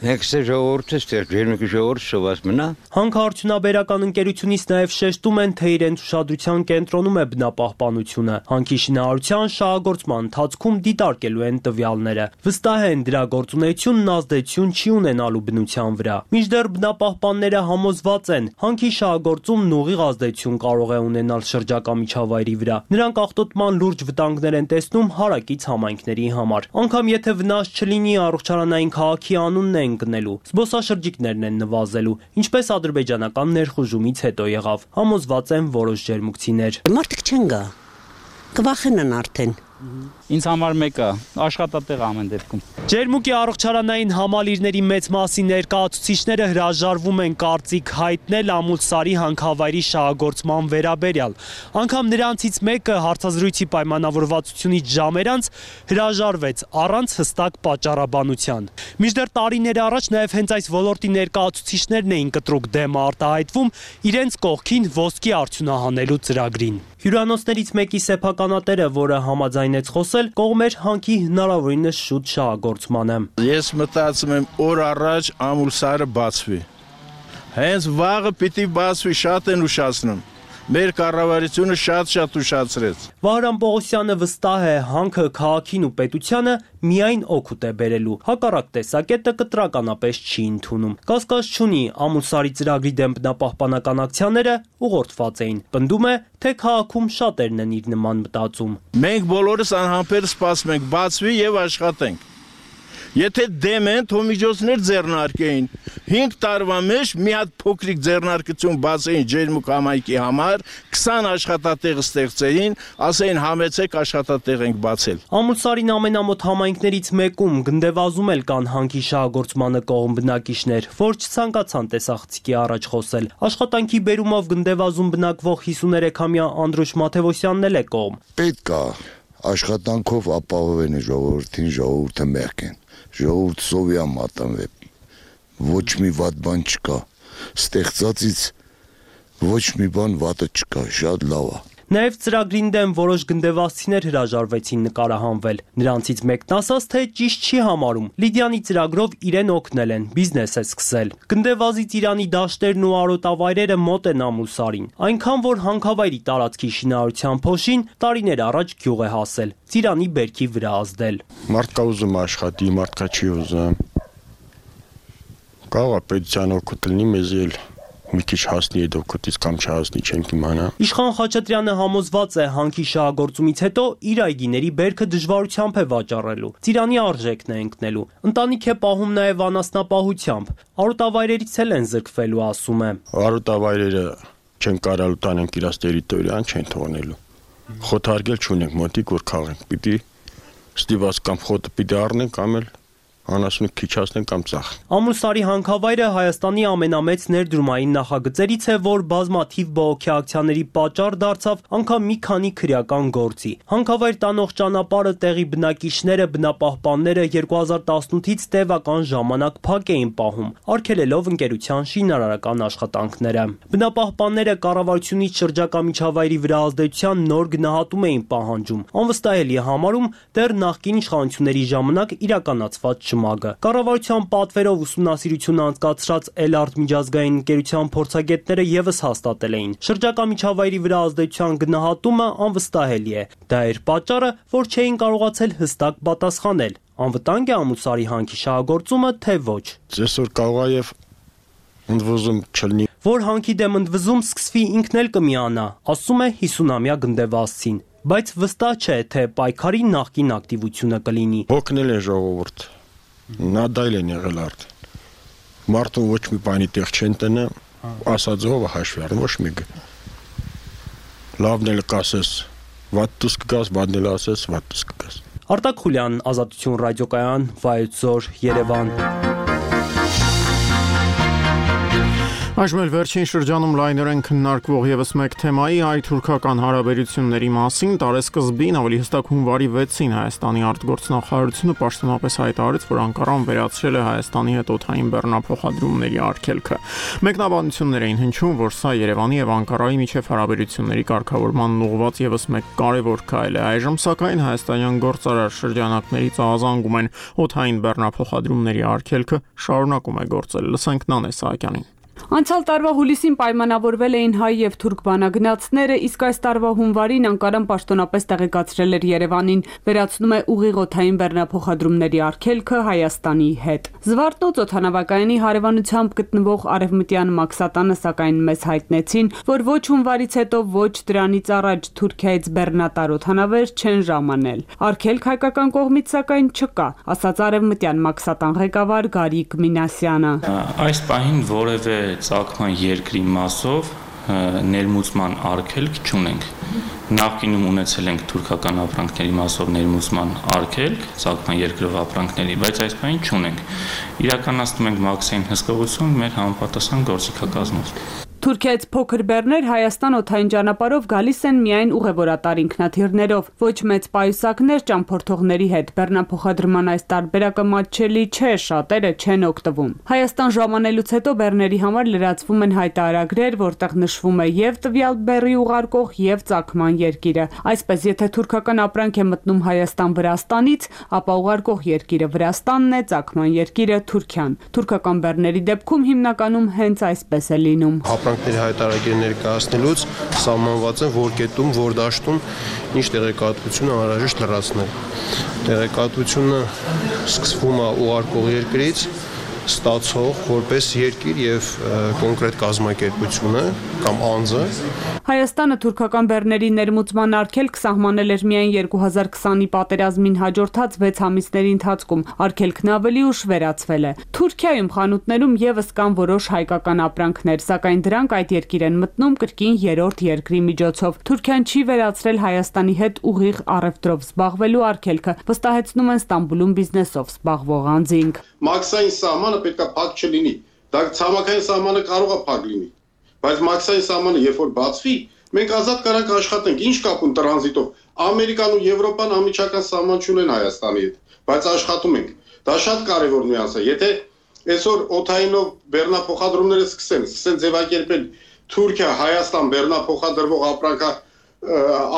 հեքսե ժողովուրդը ստեղ ջերմուկի ժողովուրդը սոված մնա։ Հանքարդյունաբերական ընկերությունից նաև շեշտում են, թե իրենց ուշադրության կենտրոնում է բնապահպանությունը։ Հանքի շինարարության շահագործման ընթացքում դիտարկելու են տվյալները։ Վստահ են, դրա գործունեությունն ազդեցություն չի ունենալու բնության վրա։ Մինչդեռ բնապահպանները համոզված են, հանքի շահագործումն ուղիղ ազդեցություն կարող է ունենալ շրջակա միջավայրի վրա։ Նրանք աղտոտման լուրջ վտանգներ են տեսնում հարակից համայնքների համար։ Անկամ եթե վնաս չլինի, առողջարանային քաղաքի անունն են գնելու, զբոսաշրջիկներն են նվազելու, ինչպես ադրբեջանական ներխուժումից հետո եղավ, համոզված են որոշ ջերմուկցիներ։ Մարդիկ չեն գա, կվախենան արդեն։ Ինձ համար մեկը աշխատատեղ ամեն դեպքում։ Ջերմուկի առողջարանային համալիրների մեծ մասի ներկայացուցիչները հրաժարվում են կարծիք հայտնել Ամուլսարի հանքավայրի շահագործման վերաբերյալ։ Անգամ նրանցից մեկը հարցազրույցի պայմանավորվածությունից ժամեր անց հրաժարվեց առանց հստակ պատճառաբանության։ Մինչդեռ տարիներ առաջ նաև հենց այս ոլորտի ներկայացուցիչներն էին կտրուկ դեմ արտահայտվում իրենց կողքին ոսկի արդյունահանելու ծրագրին։ Հյուրանոցներից մեկի սեփականատերը, որը համաձայնեց խոսել, կողմեր հանքի հնարավորինս շուտ շահագործմանը։ Ես մտածում եմ օր առաջ Ամուլսարը բացվի։ Հենց վաղը պիտի բացվի, շատ են ուշացնում։ Մեր կառավարությունը շատ-շատ ուշացրեց։ Վահրամ Պողոսյանը վստահ է, հանքը քաղաքին ու պետությանը միայն օգուտ է բերելու։ Հակառակ տեսակետը կտրականապես չի ընդունում։ Կասկած չունի, Ամուլսարի ծրագրի դեմ բնապահպանական ակցիաները ուղղորդված էին։ Պնդում է, թե քաղաքում շատերն են իր նման մտածում։ Մենք բոլորս անհամբեր սպասում ենք բացվի եւ աշխատենք։ Եթե դեմ են, թող միջոցներ ձեռնարկեին։ հինգ տարվա մեջ մի հատ փոքրիկ ձեռնարկություն բացեին ջերմուկ համայնքի համար, քսան աշխատատեղ ստեղծեին, ասեին համեցեք աշխատատեղ ենք բացել։ Ամուլսարին ամենամոտ համայնքներից մեկում գնդեվազում էլ կան հանքի շահագործմանը կողմ բնակիչներ, որ չցանկացան տեսախցիկի առաջ խոսել։ Աշխատանքի բերումով գնդեվազում բնակվող հիսուներեքամյա Անդրուշ Մաթևոսյանն էլ է կողմ։ Պետք է աշխատանքով ապահովեն ժողովրդին, ժողովուրդը մեղք են։ Ժողովուրդ սովիա մատնվե, ոչ մի վատ բան չկա, ստեղծածից ոչ մի բան վատը չկա, շատ լավ է։ Նաև ծրագրին դեմ որոշ գնդեվազցիներ հրաժարվեցին նկարահանվել։ Նրանցից մեկն ասաց, թե ճիշտ չի համարում։ Լիդիանի ծրագրով իրեն օգնել են, բիզնես է սկսել։ Գնդեվազից Իրանի դաշտերն ու արոտավայրերը մոտ են Ամուլսարին, այնքան որ հանքավայրի տարածքի շինարարության փոշին տարիներ առաջ գյուղ է հասել, ծիրանի բերքի վրա ազդել։ Մարդկա ուզում աշխատի, մարդկա չի ուզում։ Կարող է պետության օգուտ լինի, մեզ էլ մի քիչ հասնի այդ օգուտից կամ չհասնի չենք իմանա։ Իշխան Խաչատրյանը համոզված է հանքի շահագործումից հետո իր այգիների բերքը դժվարությամբ է վաճառելու։ Ծիրանի արժեքն է ընկնելու։ Ընտանիք է պահում նաև անասնապահությամբ։ Արոտավայրերից էլ են զրկվելու, ասում է։ Արոտավայրերը չեն կարալ տանենք իրաց տերիտորիան, չեն թողնելու։ Խոթարկել չունենք մոտիկ, որ քաղենք։ Պիտի ստիված կամ խոտը պիտի առնենք, կամ էլ անասունը քիչացնեն կամ ծախ։ Ամուլսարի հանքավայրը Հայաստանի ամենամեծ ներդրումային նախագծերից է, որ բազմաթիվ բողոքի ակցիաների պատճառ դարձավ անգամ մի քանի քրեական գործի։ Հանքավայր տանող ճանապարհը տեղի բնակիչները, բնապահպանները երկու հազար տասնութից տևական ժամանակ փակ էին պահում, արգելելով ընկերության շինարարական աշխատանքները։ Բնապահպանները կառավարությունից շրջակա միջավայրի վրա ազդեցության նոր գնահատում էին պահանջում։ Անվստահելի է համարում դեռ նախկին իշխանությունների ժամանակ իրականացված շմագը։ Կառավարության պատվերով ուսումնասիրություն անցկացրած Էլարտ միջազգային ընկերության փորձագետները եւս հաստատել էին։ Շրջակա միջավայրի վրա ազդեցության գնահատումը անվստահելի է։ Դա էր պատճառը, որ չէին կարողացել հստակ պատասխանել։ Անվտանգ է Ամուլսարի հանքի շահագործումը, թե ոչ։ Այսօր կարող է եւ ընդվզում չլինի։ Որ հանքի դեմ ընդվզում սկսվի, ինքն էլ կմիանա, ասում է հիսունամյա գնդեվազցին։ Բայց վստահ չէ, թե պայքարի նախկին ակտիվությունը կլինի։ Օգնել է ժողովուրդ։ Նադայլ են եղել արդեն։ Մարդուն ոչ մի բանի տեղ չեն տնը, ասածով հաշվի առնում ոչ մեկը։ Լավն էլ կասես, վատ դուս կգաս, բանն էլ ասես, վատ դուս կգաս։ Արտակ Խուլյան, Ազատություն ռադիոկայան, Վայոց Ձոր, Երևան։ Այժմ էլ վերջին շրջանում լայնորեն քննարկվող եւս մեկ թեմայի հայ-թուրքական հարաբերությունների մասին տարեսկզբին ավելի հստակ հունվարի վեցին Հայաստանի արտգործնախարարությունը պաշտոնապես հայտարարեց, որ Անկարան վերացրել է Հայաստանի հետ օդային բեռնափոխադրումների արգելքը։ Մեկնաբանություններ էին հնչում, որ սա Երևանի եւ Անկարայի միջև հարաբերությունների կարգավորման ուղղված եւս մեկ կարևոր քայլ է։ Այժմ սակայն հայաստանյան գործարար շրջանակներից ահազանգում են օդային բեռնափոխադրումների արգելքը շարունակում է գործել։ Լսենք Նանե Սահակյանին։ Անցյալ տարվա հուլիսին պայմանավորվել էին հայ եւ թուրք բանագնացները, իսկ այս տարվա հունվարին Անկարան պաշտոնապես տեղեկացրել էր Երևանին, վերացնում է ուղիղ օդային բեռնափոխադրումների արգելքը Հայաստանի հետ։ Զվարթնոց օդանավակայանի հարևանությամբ գտնվող Արևմտյան Մաքսատանը սակայն մեզ հայտնեցին, որ ոչ հունվարից հետո, ոչ դրանից առաջ Թուրքիայից բեռնատար օդանավեր չեն ժամանել։ Արգելք հայկական կողմից սակայն չկա, ասաց Արևմտյան Մաքսատան ղեկավար Գարիկ Մինասյանը։ Այս պահին որևէ ծագման երկրի մասով ներմուծման արգելք չունենք։ Նախկինում ունեցել ենք թուրքական ապրանքների մասով ներմուծման արգելք, ծագման երկրով ապրանքների, բայց այս պահին չունենք։ Իրականացնում ենք մաքսային հսկողություն մեր համապատասխան գործիքակազմով։ Թուրքիայից փոքր բեռներ Հայաստան օդային ճանապարհով գալիս են միայն ուղևորատար ինքնաթիռներով, ոչ մեծ պայուսակներ ճամփորդողների հետ։ Բեռնափոխադրման այս տարբերակը մատչելի չէ, շատերը չեն օգտվում։ Հայաստան ժամանելուց հետո բեռների համար լրացվում են հայտարարագրեր, որտեղ նշվում է եւ տվյալ բեռի ուղարկող եւ ծագման երկիրը։ Այսպես, եթե թուրքական ապրանք է մտնում Հայաստան Վրաստանից, ապա ուղարկող երկիրը Վրաստանն է, ծագման երկիրը Թուրքիան։ Թուրքական բեռների դեպքում հիմնականում հենց այսպես է լինում։ Ապրանքների հայտարարագիր ներկայացնելուց սահմանված են որ կետում, որ դաշտում ինչ տեղեկատվություն անհրաժեշտ լրացնել։ Տեղեկատվությունը սկսվում է ուղարկող երկրից, ստացող որպես երկիր եւ կոնկրետ կազմակերպությունը կամ անձը։ Հայաստանը թուրքական բեռների ներմուծման արգելք սահմանել էր միայն երկու հազար քսանի պատերազմին հաջորդած վեց ամիսների ընթացքում, արգելքն ավելի ուշ վերացվել է։ Թուրքիայում խանութներում եւս կան որոշ հայկական ապրանքներ, սակայն դրանք այդ երկիր են մտնում կրկին երրորդ երկրի միջոցով։ Թուրքիան չի վերացրել Հայաստանի հետ ուղիղ առևտրով զբաղվելու արգելքը, վստահեցնում են Ստամբուլում բիզնեսով զբաղվող անձինք։ Մաքսային սահմանը պետք է փակ չլինի։ Դա ցամաքային սահմանը կարող է փակ լինի, բայց մաքսային սահմանը երբ որ բացվի, մենք ազատ կարանք աշխատենք։ Ինչ կապ ունի տրանզիտով։ Ամերիկան ու Եվրոպան անմիջական սահման չունեն Հայաստանի հետ, բայց աշխատում ենք։ Դա շատ կարևոր նյուանս է։ Եթե այսօր օդայինով բեռնափոխադրումները սկսեն, սկսեն ձևակերպել Թուրքիա, Հայաստան բեռնափոխադրվող ապրանքա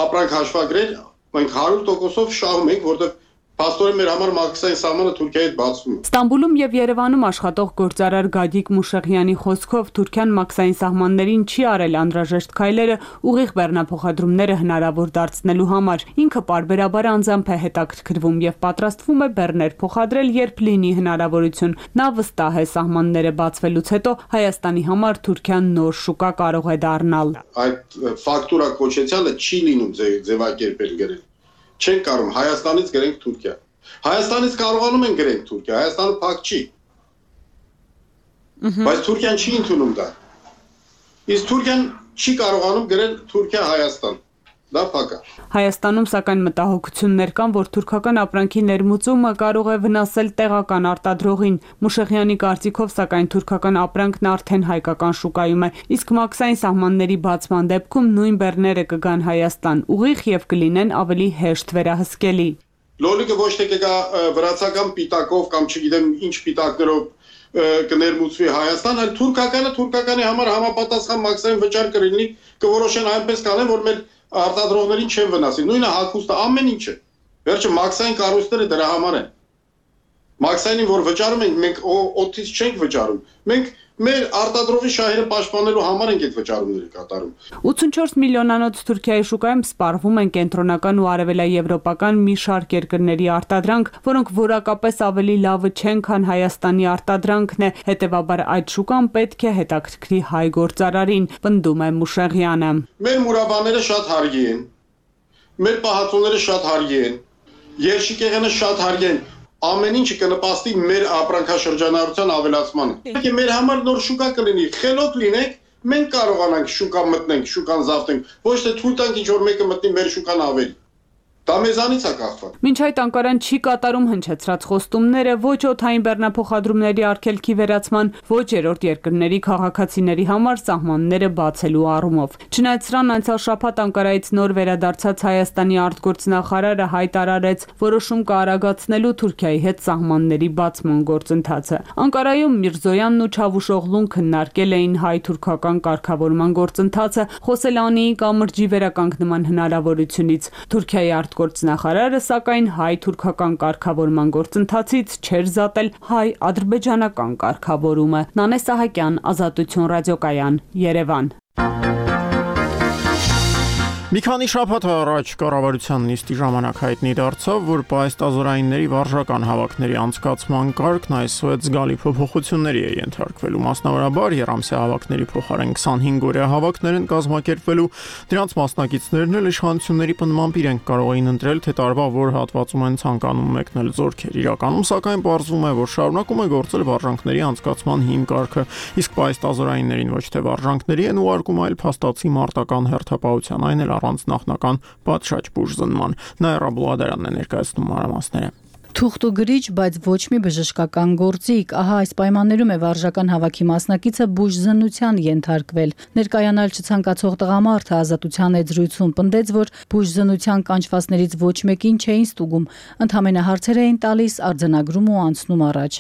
ապրանք հաշվագրեր, մենք հարյուր տոկոսով շահում ենք, որտեղ Պաստորեն մեր համար մաքսային սահմանը Թուրքիայի հետ բացվում է։ Ստամբուլում եւ Երևանում աշխատող գործարար Գադիկ Մուշեղյանի խոսքով Թուրքիան մաքսային սահմաններին չի արել անհրաժեշտ քայլերը ուղիղ բեռնափոխադրումները հնարավոր դարձնելու համար։ Ինքը պարբերաբար անձամբ է հետաքրքրվում եւ պատրաստվում է բեռներ փոխադրել, երբ լինի հնարավորություն։ Նա վստահ է սահմանները բացվելուց հետո Հայաստանի համար Թուրքիան նոր շուկա կարող է դառնալ։ Այդ ֆակտուրա կոչեցյալը չի լինում ձևակերպել գրել։ Չեն կարող Հայաստանից գրենք Թուրքիա։ Հայաստանից կարողանում են գրենք Թուրքիա, Հայաստանը փակ չի։ Բայց Թուրքիան չի ընդունում դա։ Իսկ Թուրքիան չի կարողանում գրել Թուրքիա-Հայաստան։ Դա փակ է։ Հայաստանում սակայն մտահոգություններ կան, որ թուրքական ապրանքի ներմուծումը կարող է վնասել տեղական արտադրողին։ Մուշեղյանի կարծիքով սակայն թուրքական ապրանքն արդեն հայկական շուկայում է, իսկ մաքսային սահմանների բացման դեպքում նույն բեռները կգան Հայաստան ուղիղ եւ կլինեն ավելի հեշտ վերահսկելի։ Լոլիկը ոչ թե կգա վրացական պիտակով կամ չգիտեմ ինչ պիտակներով կներմուծվի Հայաստան, այլ թուրքականը թուրքականի համար համապատասխան մաքսային վճար կլինի, կորոշեն այնպես կանեն, որ մեր արտադրողներին չեն վնասի։ Նույնը հագուստը, ամեն ինչը։ Վերջը մաքսային կառույցները դրա համար են։ Մաքսայինին որ վճարում ենք, մենք օդից չենք վճարում։ Մենք մեր արտադրողի շահերը պաշտպանելու համար ենք այդ վճարումները կատարում։ ութսունչորս միլիոնանոց Թուրքիայի շուկայում սպառվում են կենտրոնական ու արևելաեվրոպական մի շարք երկրների արտադրանք, որոնք որակապես ավելի լավը չեն, քան Հայաստանի արտադրանքն է, հետևաբար այդ շուկան պետք է հետաքրքրի հայ գործարարին, պնդում է Մուշեղյանը։ Մեր մուրաբաները շատ հարգի են, մեր պահածոները շատ հարգի են, երշիկեղենը շատ հարգի են, ամեն ինչը կնպաստի մեր ապրանքաշրջանառության ավելացմանը։ Մեր համար նոր շուկա կլինի, խելոք լինենք, մենք կարողանանք շուկա մտնենք, շուկան զավթենք, ոչ թե թույլ տանք ինչ որ մեկը մտնի մեր շուկան ավելի։ Դա մեզանից է կախված։ Մինչ այդ Անկարան չի կատարում հնչեցրած խոստումները ոչ օդային բեռնափոխադրումների արգելքի վերացման, ոչ երրորդ երկրների քաղաքացիների համար սահմանները բացելու առումով։ Չնայած սրան անցյալ շաբաթ Անկարայից նոր վերադարձած Հայաստանի արտգործնախարարը հայտարարեց որոշում կարագացնելու Թուրքիայի հետ սահմանների բացման գործընթացը։ Անկարայում Միրզոյանն ու Չավուշօղլուն քննարկել էին հայ-թուրքական կարգավորման գործընթացը, խոսել Անիի կամրջի վերականգնման հնարավորությունից։ Թուրքիայի Գործնախարարը սակայն հայ-թուրքական կարգավորման գործընթացից չէր զատել հայ-ադրբեջանական կարգավորումը։ Նանե Սահակյան, Ազատություն ռադիոկայան, Երևան։ Մի քանի շաբաթ առաջ կառավարության նիստի ժամանակ հայտնի դարձավ, որ պահեստազորայինների վարժական հավաքների անցկացման կարգն այսօր զգալի փոփոխությունների է ենթարկվելու։ Մասնավորաբար երամսյա հավաքների փոխարեն քսանհինգ օրյա հավաքներ են կազմակերպվելու։ Դրանց մասնակիցներն էլ իշխանությունների պնդմամբ իրենք կարող էին ընտրել, թե տարվա որ հատվածում են ցանկանում մեկնել զորքեր։ Իրականում սակայն պարզվում է, որ շարունակում է գործել վարժանքների անցկացման հիմ կարգը, իսկ պահեստազորայիններին ոչ թե վարժանքների են ուղարկում, այլ փաստացի մարտական հերթապահության, այն էլ առանց նախնական պատշաճ բուժզնման։ Նաիրա Բուլադարանն է ներկայացնում մանրամասները։ Թուղթ ու գրիչ, բայց ոչ մի բժշկական գործիք, ահա այս պայմաններում է վարժական հավաքի մասնակիցը բուժզնության ենթարկվել։ Ներկայանալ չցանկացող տղամարդը Ազատության էջրույցում պնդեց, որ բուժզնության կանչվածներից ոչ մեկին չէին ստուգում, ընդհանրապես հարցեր էին տալիս, արձանագրում ու անցնում առաջ։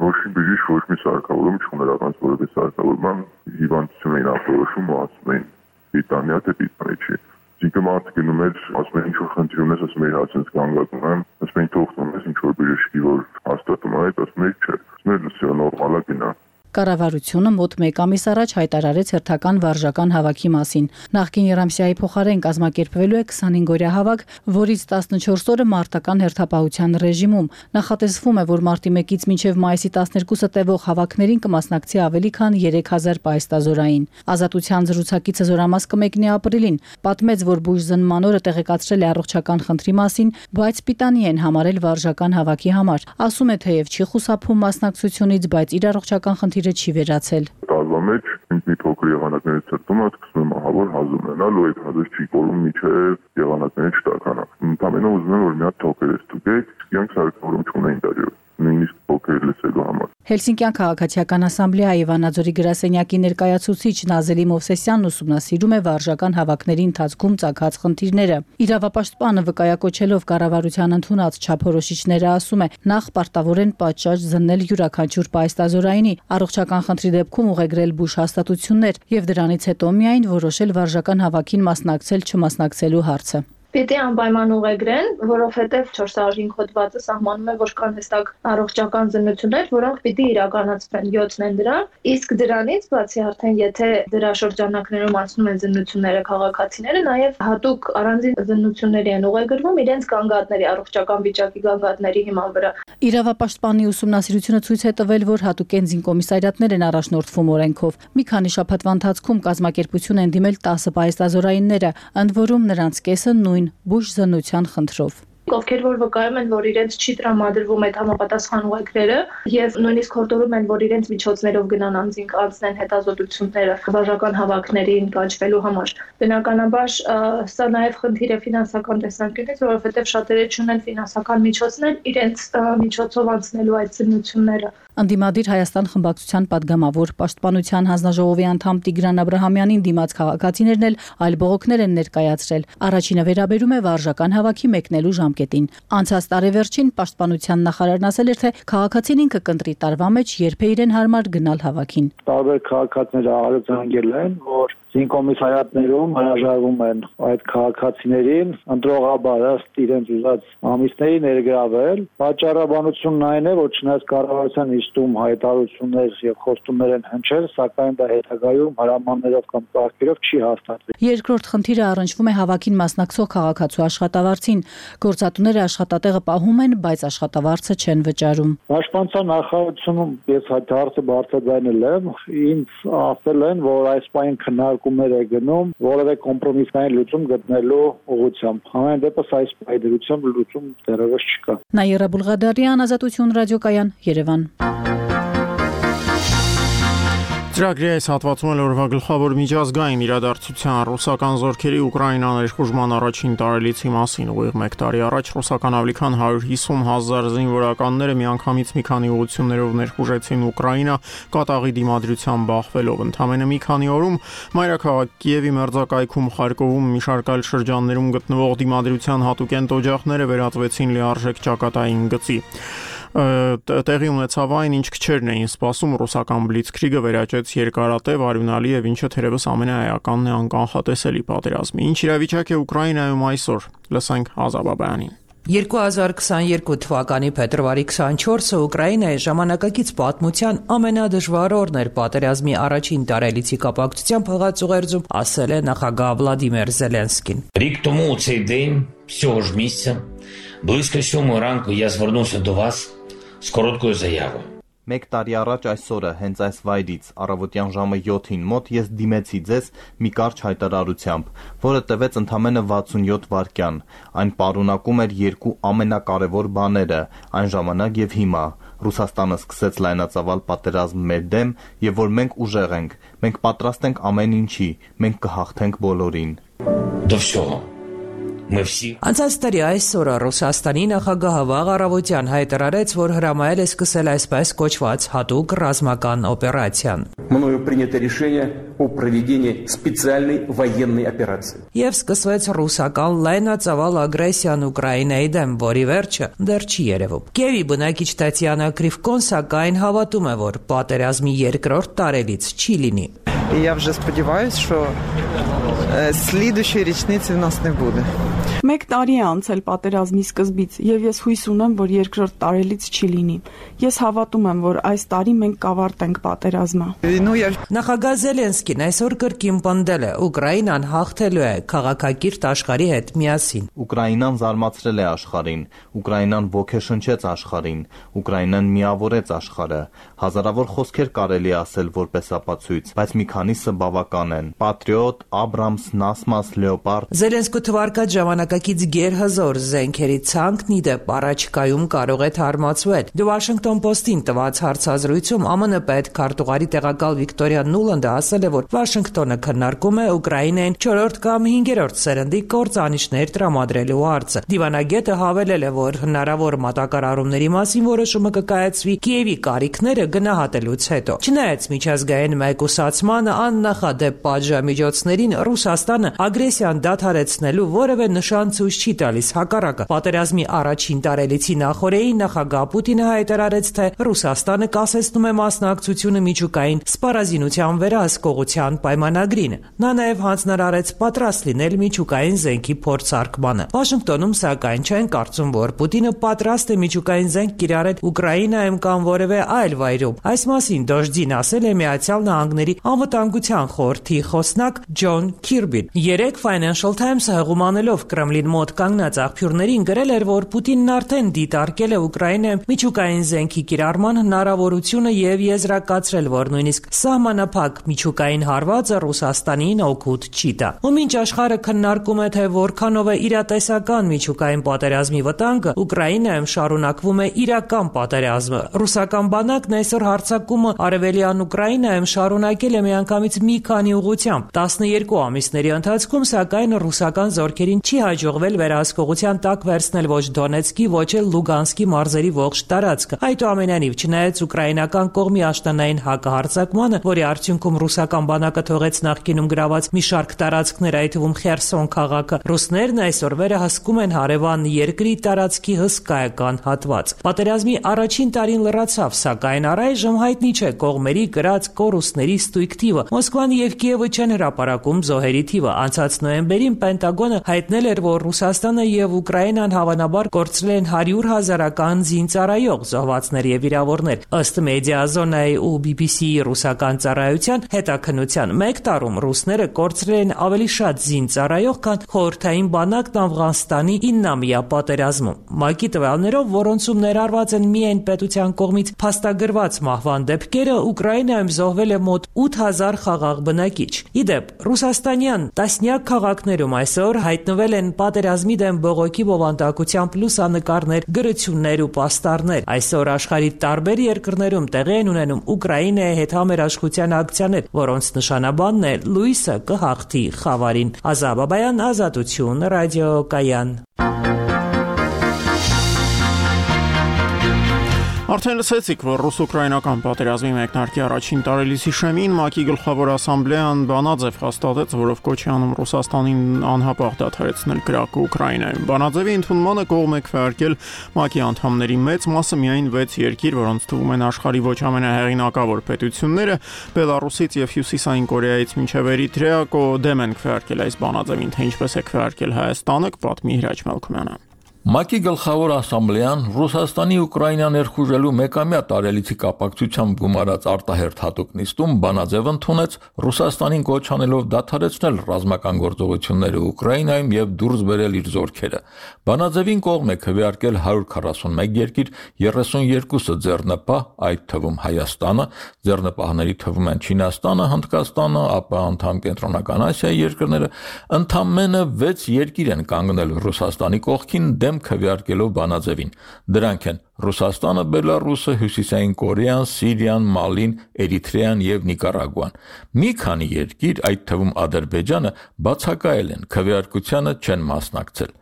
Ոչ մի բժիշկ, ոչ մի սարքավորում չուներ առանց որևէ սարքավորման հիվանդություն էին ապորոշում ու ասում էին Պիտանյա թե պիտանի չի։ Ինքը մարդը գնում էր, ասում էր ինչ-որ խնդիր ունես, ասում էր հացենց կանգատում եմ, ասում են թող տոնես ինչ-որ բժշկի, որ հաստատում է, ասում էր չէ, ասում էր լսյա նորմալ է գնա։ Կառավարությունը մոտ մեկ ամիս առաջ հայտարարեց հերթական վարժական հավաքի մասին։ Նախկին երամսյայի փոխարեն կազմակերպվելու է քսանհինգ օրյա հավաք, որից տասնչորս օրը մարտական հերթապահության ռեժիմում։ Նախատեսվում է, որ մարտի մեկից մինչև մայիսի տասներկուսը տևող հավաքներին կմասնակցի ավելի քան երեք հազար պահեստազորային։ Ազատության զրուցակիցը զորամաս կմեկնի ապրիլին, պատմեց, որ բուժզնման օրը տեղեկացրել է առողջական խնդրի մասին, բայց պիտանի են համարել վարժական հավաքի համար։ Ասում է, թեև չի խուսափում մասնակցությունից, բայց իր առողջական խնդիրը չի վերացել։ Տարվա մեջ ինձ մի փոքր եղանակներից ծրտում է, սկսում եմ ահավոր հազում ունենալ ու այդ հազը չի կորում միջև եղանակները չտականա։ Ընդամենը ուզում եմ, որ մի հատ թոքեր է ստուգեք, իրանք սարքավորում չունեին դարյով, նույնիսկ փոքր լսելու համար։ Հելսինկյան քաղաքացիական ասամբլեայի Վանաձորի գրասենյակի ներկայացուցիչ Նազելի Մովսեսյանն ուսումնասիրում է վարժական հավաքների ընթացքում ծագած խնդիրները։ Իրավապաշտպանը վկայակոչելով կառավարության ընդունած չափորոշիչները ասում է, նախ պարտավոր են պատշաճ զննել յուրաքանչյուր պահեստազորայինի, առողջական խնդրի դեպքում ուղեգրել բուժ հաստատություններ եւ դրանից հետո միայն որոշել վարժական հավաքին մասնակցել չմասնակցելու հարցը։ Պիտի անպայման ուղեգրեն, որովհետև չորս հարյուր հինգ հոդվածը սահմանում է, որ կան հստակ առողջական զննություններ, որոնք պիտի իրականացվեն, յոթն են դրան, իսկ դրանից բացի արդեն եթե դրա շրջանակներում անցնում են զննությունները քաղաքացիները, նաև հատուկ առանձին զննությունների են ուղեգրվում իրենց գանգատների, առողջական վիճակի գանգատների հիման վրա։ Իրավապաշտպանի ուսումնասիրությունը ցույց է տվել, որ հատուկ էնզին կոմիսարիատներ են առաջնորդվում օրենքով։ Մի քանի շաբաթվա ընթացքում կազմակերպություն են դիմել տասը պահեստազորայինները, ընդ որում նրանց կեսը նույն բուժզննության խնդրով։ Ովքեր որ վկայում են, որ իրենց չի տրամադրվում այդ համապատասխան ուղեգրերը եւ նույնիսկ հորդորում են, որ իրենց միջոցներով գնան անձին անցնեն հետազոտությունները վարժական հավաքներին կանչվելու համար։ Բնականաբար սա նաեւ խնդիր է ֆինանսական տեսանկյունից, որովհետեւ շատերը չունեն ֆինանսական միջոցներ իրենց միջոցով անցնելու այդ զննությունները։ Անդիմադիր Հայաստան խմբակցության падգամավոր Պաշտպանության հանձնաժողովի անդամ Տիգրան Աբրահամյանին դիմաց քաղաքացիներն էլ այլ բողոքներ են ներկայացրել։ Առաջինը վերաբերում է վարժական հավաքի մեկնելու ժամկետին։ Անցած տարեվերջին Պաշտպանության նախարարն ասել էր, թե քաղաքացին ինքը կընտրի տարվա մեջ երբ է իրեն հարմար գնալ հավաքին։ Տարբեր քաղաքացիները արձանագրել են, որ զինկոմիսարիատներում հրաժարվում են այդ քաղաքացիներին ընտրողաբար ըստ իրենց ուզած ամիսների ներգրավել։ Պատճառաբանությունն այն է, որ չնայած կառավարության իստում հայտարարություններ եւ խոստումներ են հնչել, սակայն դա հետագայում հրամաններով կամ կարգերով չի հաստատվել։ Երկրորդ խնդիրը առնչվում է հավաքին մասնակցող քաղաքացու աշխատավարձին։ Գործատուները աշխատատեղը պահում են, բայց աշխատավարձը չեն վճարում։ Պաշտպանության նախարարությունում ես այդ հարցը բարձրաձայնել եմ, ինձ ասել են, որ այս պայն քննարկումներ է գնում որևէ կոմպրոմիսային լուծում գտնելու ուղղությամբ։ Համեն դեպս այս պայդրությամբ լուծում դեռևս չկա։ Նաիրա Բուլղադարյան, Ազատություն ռադիոկայան, Երևան։ Ծրագրի այս հատվածում էլ օրվա գլխավոր միջազգային իրադարձության ռուսական զորքերի Ուկրաինա ներխուժման առաջին տարելիցի մասին ուղիղ մեկ տարի առաջ ռուսական ավելի քան հարյուր հիսուն հազար զինվորականները միանգամից մի քանի ուղղություններով ներխուժեցին Ուկրաինա կատաղի դիմադրության բախվելով ընդամենը մի քանի օրում մայրաքաղաք Կիևի մերձակայքում Խարկովում մի շարք այլ շրջաններում գտնվող դիմադրության հատուկենտ օջախները վերածվեցին լիարժեք ճակատային գծի տեղի ունեցավ այն, ինչ քչերն էին սպասում ռուսական բլիցքրիգը վերաճեց երկարատև արյունալի եւ ինչը թերևս ամենաէականն է անկանխատեսելի պատերազմի։ Ինչ իրավիճակ է Ուկրաինայում այսօր։ Լսենք Ազաբաբյանին։ երկու հազար քսաներկու թվականի փետրվարի քսանչորսը Ուկրաինայի ժամանակակից պատմության ամենադժվար օրն էր պատերազմի առաջին տարելիցի կապակցությամբ հղած ուղերձում ասել է նախագահ Վլադիմիր Զելենսկին։ Рік тому у цей день, цього ж місця, близько сьомої ранку я звернувся до вас з короткою заявою. Մեկ տարի առաջ այսօրը հենց այս վայրից առավոտյան ժամը յոթին մոտ ես դիմեցի ձեզ մի կարճ հայտարարությամբ, որը տևեց ընդամենը վաթսունյոթ վայրկյան։ Այն պարունակում էր երկու ամենակարևոր բաները այն ժամանակ եւ հիմա։ Ռուսաստանը սկսեց լայնածավալ պատերազմ մեր դեմ եւ որ մենք ուժեղ ենք, մենք պատրաստ ենք ամեն ինչի, մենք կհաղթենք բոլորին։ До всього. Անցած տարի այսօրը Ռուսաստանի նախագահը վաղ առավոտյան հայտարարեց, որ հրամայել է սկսել այսպես կոչված հատուկ ռազմական օպերացիան։ Мною принято решение о проведении специальной военной операции. Եվ սկսվեց ռուսական լայնածավալ ագրեսիան Ուկրաինայի դեմ, որի վերջը դեռ չի երևում։ Կիևի բնակիչ Տատյանա Կրիվկոն սակայն հավատում է, որ պատերազմի երկրորդ տարելից չի լինի։ Я вже сподіваюся, що слідуючої річниці в нас не буде. Մեկ տարի է անցել պատերազմի սկզբից, եւ ես հույս ունեմ, որ երկրորդ տարելից չի լինի։ Ես հավատում եմ, որ այս տարի մենք կավարտենք պատերազմը։ Նախագահ Զելենսկին այսօր կրկին պնդել է, Ուկրաինան հաղթելու է քաղաքակիրթ աշխարհի հետ միասին։ Ուկրաինան զարմացրել է աշխարհին, Ուկրաինան ոգեշնչեց աշխարհին, Ուկրաինան միավորեց աշխարհը։ Հազարավոր խոսքեր կարելի ասել որպես ապացույց, բայց մի քանիսը բավական են։ Պատրիոտ, Աբրամս, Նասմաս, Լեոպարդ։ Զելենսկու թվարկած ժամանակակից գերհզոր զենքերի ցանկն ի դեպ առաջիկայում կարող է թարմացվել։ The Washington Post-ին տված հարցազրույցում ԱՄՆ պետքարտուղարի տեղակալ Վիկտորիա Նուլանդը ասել է, որ Վաշինգտոնը քննարկում է Ուկրաինային չորրորդ կամ հինգերորդ սերնդի կործանիչներ տրամադրելու հարցը։ Դիվանագետը հավելել է, որ հնարավոր մատակարարումների մասին որոշումը կկայացվի Կիևի կարիքները գնահատելուց հետո։ Չնայած միջազգային մեկուսացմանը աննախադեպ պատժամիջոցներին Ռուսաստանը ագրեսիան դադարեցնելու որևէ նշան ցույց չի տալիս, հակառակը պատերազմի առաջին տարելիցի նախօրեին նախագահ Պուտինը հայտարարեց, թե Ռուսաստանը կասեցնում է մասնակցությունը միջուկային սպառազինության վերահսկողության պայմանագրին։ Նա նաև հանձնարարեց պատրաստ լինել միջուկային զենքի փորձարկմանը։ Վաշինգտոնում սակայն չեն կարծում, որ Պուտինը պատրաստ է միջուկային զենք կիրառել Ուկրաինայում կամ որևէ այլ վայրում։ Այս մասին Դոժդին ասել է Միացյալ Նահանգների անվտանգության խորհրդի խոսնակ Ջոն Քիրբին։ Երեք Financial Times-ը հղումանելով Կրեմլին մոտ կանգնած աղբյուրներին գրել էր, որ Պուտինն արդեն դիտարկել է Ուկրաինայում միջուկային զենքի կիրառման հնարավորությունը եւ եզրակացրել, որ նույնիսկ սահմանափակ միջուկային հարվածը Ռուսաստանին օգուտ չի տա։ Ու մինչ աշխարհը քննարկում է, թե որքանով է իրատեսական միջուկային պատերազմի վտանգը, Ուկրաինայում շարունակվում է իրական պատերազմը։ Ռուսական բանակն այսօր հարձակումը արևելյան Ուկրաինայում շարունակել է միանգամից մի քանի ուղղությամբ։ տասներկու ամիսների ընթացքում սակայն ռուսական զորքերին չի հաջողվել վերահսկողության տակ վերցնել ոչ Դոնեցկի, ոչ էլ Լուգանսկի մարզերի ողջ տարածքը։ Այդուամենայնիվ, չնայած ուկրաինական կողմի աշտանային հակահարձակմանը, որի արդյունքում ռուսական բանակը թողեց նախկինում գրաված մի շարք տարածքներ, այդ թվում Խերսոն քաղաքը, ռուսներն այսօր վերահսկում են հարևան երկրի տարածքի հսկայական հատված։ Պատերազմի առաջին տարին լրացավ, սակայն առայժմ հայտնի չէ կողմերի կրած կորուստների ստույգ թիվը։ Մոսկվան եւ Կիևը չեն հրապարակում զոհերի թիվը։ Անցած նոյեմբերին Պենտագոնը հայտնել էր, որ Ռուսաստանը եւ Ուկրաինան հավանաբար կորցրել են հարյուր հազարական զինծառայող, զոհվածներ եւ վիրավորներ։ Ըստ Մեդիազոնայի ու բի բի սի-ի ռուսական ծառայության հետաքննության մեկ տարում ռուսները կորցրել են ավելի շատ զինծառայող, քան խորհրդային բանակն Աֆղանստանի իննամյա պատերազմում։ ՄԱԿ-ի տվյալներով, որոնցում ներառված են միայն պետության կողմից փաստագրված մահվան դեպքերը, Ուկրաինայում զոհվել է մոտ ութ հազար խաղաղ բնակիչ։ Ի դեպ, Ռուսաստանի Օկրաինյան տասնյակ քաղաքներում այսօր հայտնվել են պատերազմի դեմ բողոքի բովանդակությամբ լուսանկարներ, գրություններ ու պաստառներ։ Այսօր աշխարհի տարբեր երկրներում տեղի են ունենում Ուկրաինայի հետ համերաշխության ակցիաներ, որոնց նշանաբանն է լույսը կհաղթի խավարին։ Ազատ Բաբայան, Ազատություն, ռադիոկայան։ Արդեն լսեցիք, որ ռուս-ուկրաինական պատերազմի մեկնարկի առաջին տարելիցի շեմին ՄԱԿ-ի գլխավոր ասամբլեան բանաձև հաստատեց, որով կոչ է անում Ռուսաստանին անհապաղ դադարեցնել կրակը Ուկրաինայում։ Բանաձևի ընդունմանը կողմ է քվեարկել ՄԱԿ-ի անդամների մեծ մասը, միայն վեց երկիր, որոնց թվում են աշխարհի ոչ ամենահեղինակավոր պետությունները, Բելարուսից եւ Հյուսիսային Կորեայից մինչեւ Էրիթրեա, դեմ են քվեարկել այս բանաձևին, թե ինչպես է քվեարկել Հայաստանը, կպատմի Հրաչ Մելքումյանը։ ՄԱԿ-ի գլխավոր ասամբլեան Ռուսաստանի Ուկրաինա ներխուժելու մեկամյա տարելիցի կապակցությամբ գումարած արտահերթ հատուկ նիստում բանաձև ընդունեց, Ռուսաստանին կոչ անելով դադարեցնել ռազմական գործողությունները Ուկրաինայում եւ դուրս բերել իր զորքերը։ Բանաձևին կողմ է քվեարկել հարյուր քառասունմեկ երկիր, երեսունյոթը ձեռնպահ, այդ թվում Հայաստանը, ձեռնպահների թվում են Չինաստանը, Հնդկաստանը, ապա անդամ Կենտրոնական Ասիայի երկրները, ընդամենը վեց երկիր են կանգնել Ռուսաստանի կողքին քվեարկելով բանաձևին։ Դրանք են Ռուսաստանը, Բելարուսը, Հյուսիսային Կորեան, Սիրիան, Մալին, Էրիթրեան եւ Նիկարագուան։ Մի քանի երկիր, այդ թվում Ադրբեջանը, բացակայել են, քվեարկությանը չեն մասնակցել։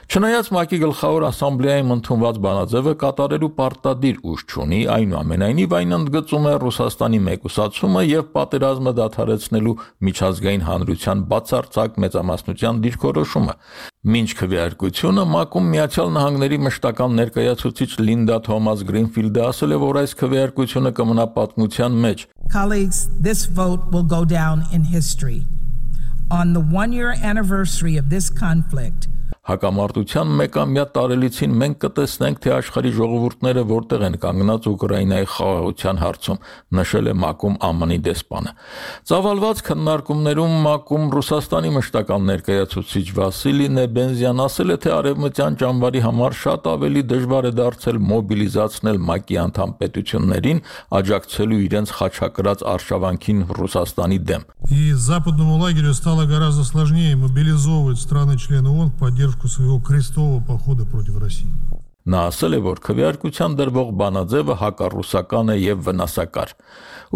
Չնայած ՄԱԿ-ի գլխավոր ասամբլեայում ընդունված բանաձևը կատարելու պարտադիր ուժ չունի, այնուամենայնիվ այն ընդգծում է Ռուսաստանի մեկուսացումը եւ պատերազմը դադարեցնելու միջազգային հանրության բացարձակ մեծամասնության դիրքորոշումը։ Մինչ քվեարկությունը ՄԱԿ-ում Միացյալ Նահանգների մշտական ներկայացուցիչ Լինդա Թոմաս Գրինֆիլդը ասել է, որ այս քվեարկությունը կմնա պատմության մեջ։ Colleagues, this vote will go down in history. On the one-year anniversary of this conflict, Հակամարտության մեկամյա տարելիցին մենք կտեսնենք, թե աշխարհի ժողովուրդները որտեղ են կանգնած Ուկրաինայի խաղաղության հարցում, նշել է ՄԱԿ-ում ԱՄՆ-ի դեսպանը։ Ծավալված քննարկումներում ՄԱԿ-ում Ռուսաստանի մշտական ներկայացուցիչ Վասիլի Նեբենզյան ասել է, թե արևմտյան ճամբարի համար շատ ավելի дժվար է դարձել մոբիլիզացնել ՄԱԿ-ի անդամ պետություններին, աջակցելու իրենց խաչակրած արշավանքին Ռուսաստանի դեմ։ И западному лагерю стало гораздо сложнее мобилизовывать страны-члены ООН в поддержку своего крестового похода против России. Նա ասել է, որ քվեարկության դրվող բանաձևը հակառուսական է եւ վնասակար։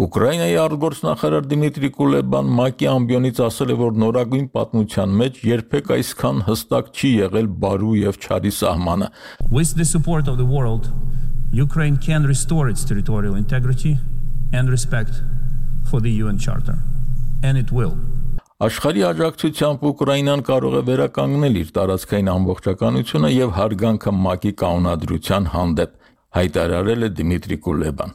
Ուկրաինայի արտգործնախարար Դիմիտրի Կուլեբան ՄԱԿ-ի ամբիոնից ասել է, որ նորագույն պատմության մեջ երբեք այսքան հստակ չի եղել բարու եւ չարի սահմանը։ With the support of the world, Ukraine can restore its territorial integrity and respect for the U N Charter, and it will. Աշխարհի աջակցությամբ Ուկրաինան կարող է վերականգնել իր տարածքային ամբողջականությունը եւ հարգանքը ՄԱԿ-ի կանոնադրության հանդեպ, հայտարարել է Դիմիտրի Կուլեբան։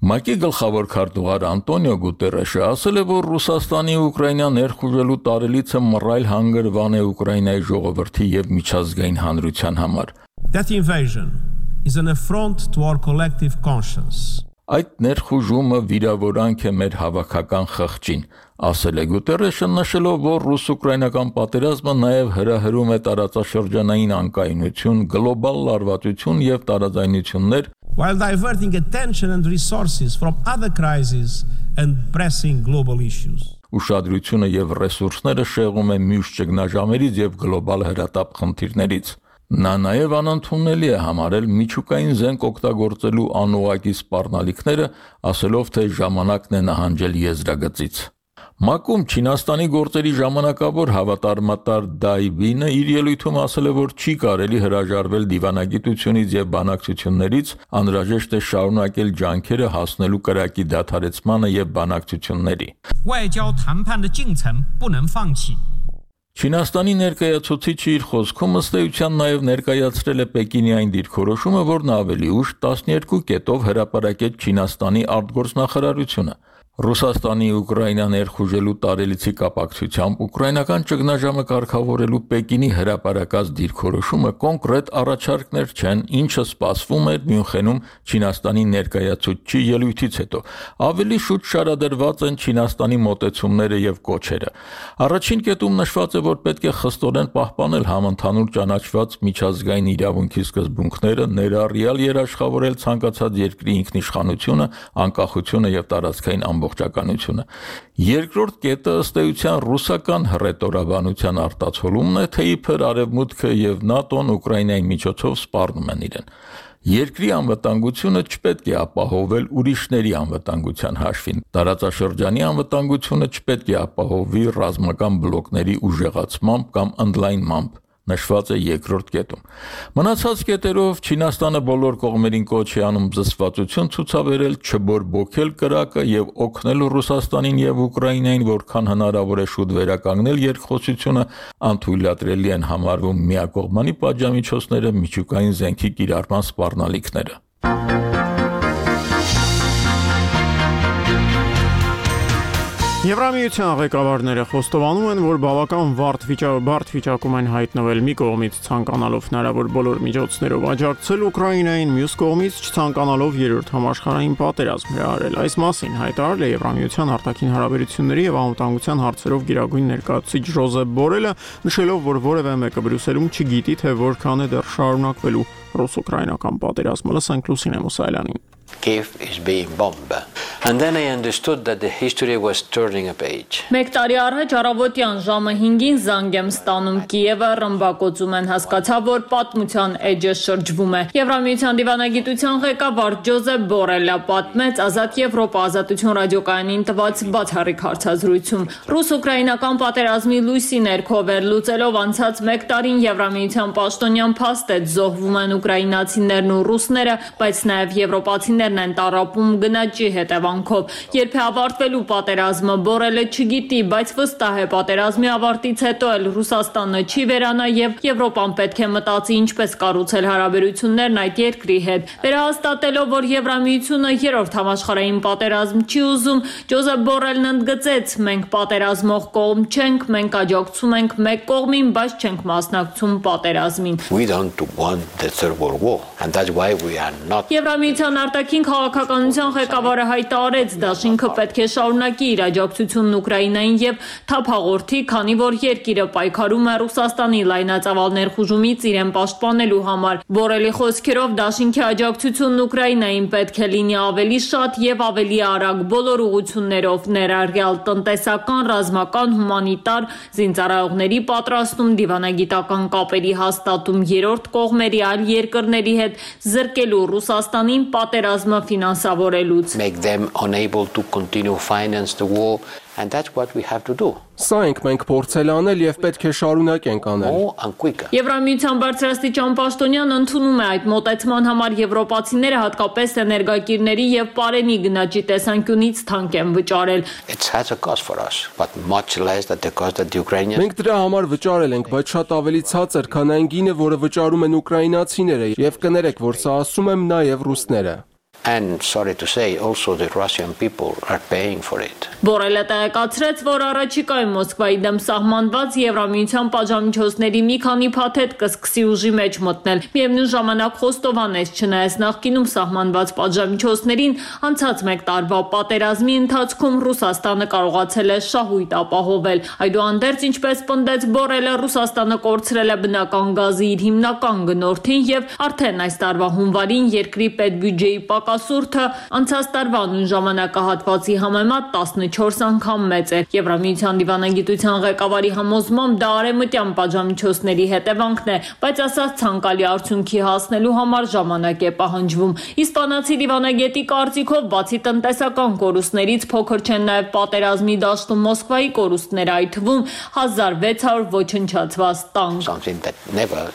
ՄԱԿ-ի գլխավոր քարտուղար Անտոնիո Գուտերեշը ասել է, որ Ռուսաստանի Ուկրաինա ներխուժելու տարելիցը մռայլ հանգրվան է Ուկրաինայի ժողովրդի եւ միջազգային հանրության համար։ That invasion is an affront to our collective conscience. Այդ ներխուժումը վիրավորանք է մեր հավաքական խղճին, ասել է Գուտերեշը, նշելով, որ ռուս-ուկրաինական պատերազմը նաև հրահրում է տարածաշրջանային անկայունություն, գլոբալ լարվածություն եւ տարաձայնություններ, while diverting attention and resources from other crises and pressing global issues. Ուշադրությունը եւ ռեսուրսները շեղում է մյուս ճգնաժամերից եւ գլոբալ հրատապ խնդիրներից։ Նա նաև անընդունելի է համարել միջուկային զենք օգտագործելու անուղակի սպառնալիքները, ասելով, թե ժամանակն է նահանջել եզրագծից։ ՄԱԿ-ում Չինաստանի գործերի ժամանակավոր հավատարմատար Դայբինը իր ելույթում ասել է, որ չի կարելի հրաժարվել դիվանագիտությունից եւ բանակցություններից, անհրաժեշտ է շարունակել ջանքերը հասնելու կրակի դադարեցմանը եւ բանակցությունների։ Չինաստանի ներկայացուցիչը իր խոսքում ըստ էության նաև ներկայացրել է Պեկինի այն դիրքորոշումը, որն ավելի ուշ տասներկու կետով հրապարակեց Չինաստանի արտգործնախարարությունը։ Ռուսաստանի Ուկրաինա ներխուժելու տարելիցի կապակցությամբ ուկրաինական ճգնաժամը կարգավորելու Պեկինի հրապարակած դիրքորոշումը կոնկրետ առաջարկներ չեն, ինչը սպասվում էր Մյունխենում Չինաստանի ներկայացուցչի ելույթից հետո։ Ավելի շուտ շարադրված են Չինաստանի մոտեցումները եւ կոչերը։ Առաջին կետում նշված է, որ պետք է խստորեն պահպանել համընդհանուր ճանաչված միջազգային իրավունքի սկզբունքները, ներառյալ երաշխավորել ցանկացած երկրի ինքնիշխանությունը, անկախությունը եւ տարածքային ամբողջությունը։ ամբողջականությունը։ Երկրորդ կետը ըստ էության ռուսական հռետորաբանության արտացոլումն է, թե իբր Արևմուտքը եւ ՆԱՏՕ-ն Ուկրաինայի միջոցով սպառնում են իրեն։ Երկրի անվտանգությունը չպետք է ապահովել ուրիշների անվտանգության հաշվին։ Տարածաշրջանի անվտանգությունը չպետք է ապահովվի ռազմական բլոկների ուժեղացմամբ կամ ընդլայնմամբ, նշված է երկրորդ կետում։ Մնացած կետերով Չինաստանը բոլոր կողմերին կոչ է անում զսպվածություն ցուցաբերել, չբորբոքել կրակը եւ օգնել Ռուսաստանին եւ Ուկրաինային, որքան հնարավոր է շուտ վերականգնել երկխոսությունը, անթույլատրելի են համարվում միակողմանի պատժամիջոցները, միջուկային զենքի կիրառման սպառնալիքները։ Եվրամիության ղեկավարները խոստովանում են, որ բավական բարդ վիճակում են հայտնվել մի կողմից ցանկանալով հնարավոր բոլոր միջոցներով աջակցել Ուկրաինային, մյուս կողմից չցանկանալով երրորդ համաշխարհային պատերազմ հրահրել։ Այս մասին հայտարարել է Եվրամիության արտաքին հարաբերությունների եւ անվտանգության հարցերով գերագույն ներկայացուցիչ Ժոզեփ Բորելը, նշելով, որ որևէ մեկը Բրյուսելում չգիտի, թե որքան է դեռ շարունակվելու ռուս-ուկրաինական պատերազմը։ Լսենք Լուսինե Մուսայելյանին։ Kiev is being bombed. And then I understood that the history was turning a page. Մեկ տարի առաջ առավոտյան ժամը հինգին զանգ եմ ստանում Կիևը, ռմբակոծում են, հասկացա, որ պատմության էջը շրջվում է։ Եվրամիության դիվանագիտության ղեկավար Ջոզեփ Բորելը պատմեց Ազատ Եվրոպա ազատություն ռադիոկայանին տված բացառիկ հարցազրույցում։ Ռուս-ուկրաինական պատերազմի լույսի ներքո վերլուծելով անցած մեկ տարին Եվրամիության պաշտոնյան փաստ է զոհվում են ուկրաինացիներն ու ռուսները, բայց նաև եվրոպացիներն են տառապում գնաճի հետևանքով։ Երբ է ավարտվելու պատերազմը, Բորելը չգիտի, բայց վստահ է պատերազմի ավարտից հետո էլ Ռուսաստանը չի վերանա եւ Եվրոպան պետք է մտածի ինչպես կառուցել հարաբերություններն այդ երկրի հետ։ Վերահաստատելով, որ Եվրամիությունը երրորդ համաշխարհային պատերազմ չի ուզում, Ջոզեփ Բորելն ընդգծեց. մենք պատերազմող կողմ չենք, մենք աջակցում ենք մեկ կողմին, բայց չենք մասնակցում պատերազմին։ We don't want the third world war, and that's why we are not. Եվրամիության արտաքին քաղաքականության ղեկավարը հայտարարեց, դաշինքը պետք է շարունակի իր աջակցությունն Ուկրաինային եւ թափ հաղորդի, քանի որ երկիրը պայքարում է Ռուսաստանի լայնածավալ ներխուժումից իրեն պաշտպանելու համար։ Բորելի խոսքերով դաշինքի աջակցությունն Ուկրաինային պետք է լինի ավելի շատ եւ ավելի արագ բոլոր ուղղություններով, ներառյալ տնտեսական, ռազմական, հումանիտար, զինծառայողների պատրաստում, դիվանագիտական կապերի հաստատում երրորդ կողմերի այլ երկրների հետ, զրկելու Ռուսաստանին պատերազմը ֆինանսավորելուց։ Make them unable to continue finance the war, and that's what we have to do. Սա ենք մենք փորձել անել եւ պետք է շարունակենք անել։ Եվրամիության բարձրաստիճան պաշտոնյան ընդունում է այդ մոտեցման համար եվրոպացիները հատկապես էներգակիրների եւ պարենի գնաճի տեսանկյունից թանկ են վճարել։ It has a cost for us, but much less than the cost that the Ukrainians. Մենք դրա համար վճարել ենք, բայց շատ ավելի ցածր, քան այն գինը, որը վճարում են ուկրաինացիները, եւ կներեք, որ սա ասում եմ նաեւ ռուսները։ And sorry to say, also the Russian people are paying for it. Բորելը տեղեկացրեց, որ առաջիկայում Մոսկվայի դեմ սահմանված Եվրամիության պատժամիջոցների մի քանի փաթեթ կսկսի ուժի մեջ մտնել։ Միևնույն ժամանակ խոստովանեց, չնայած նախկինում սահմանված պատժամիջոցներին, անցած մեկ տարվա պատերազմի ընթացքում Ռուսաստանը կարողացել է շահույթ ապահովել։ Այդուհանդերձ, ինչպես պնդեց Բորելը, Ռուսաստանը կորցրել է բնական գազի իր հիմնական գնորդին եւ արդեն այս տարվա հունվարին երկրի պետբյուջեի պակասուրդը անցած տարվա նույն ժամանակահատվածի համեմատ տասնչորս անգամ մեծ է։ Եվրամիության դիվանագիտության ղեկավարի համոզմամբ դա արևմտյան պատժամիջոցների հետևանքն է, բայց ասած ցանկալի արդյունքի հասնելու համար ժամանակ է պահանջվում։ Իսպանացի դիվանագետի կարծիքով, բացի տնտեսական կորուստներից փոքր չեն նաև պատերազմի դաշտում Մոսկվայի կորուստները, այդ թվում հազար վեց հարյուր ոչնչացված տանկ։ Something that never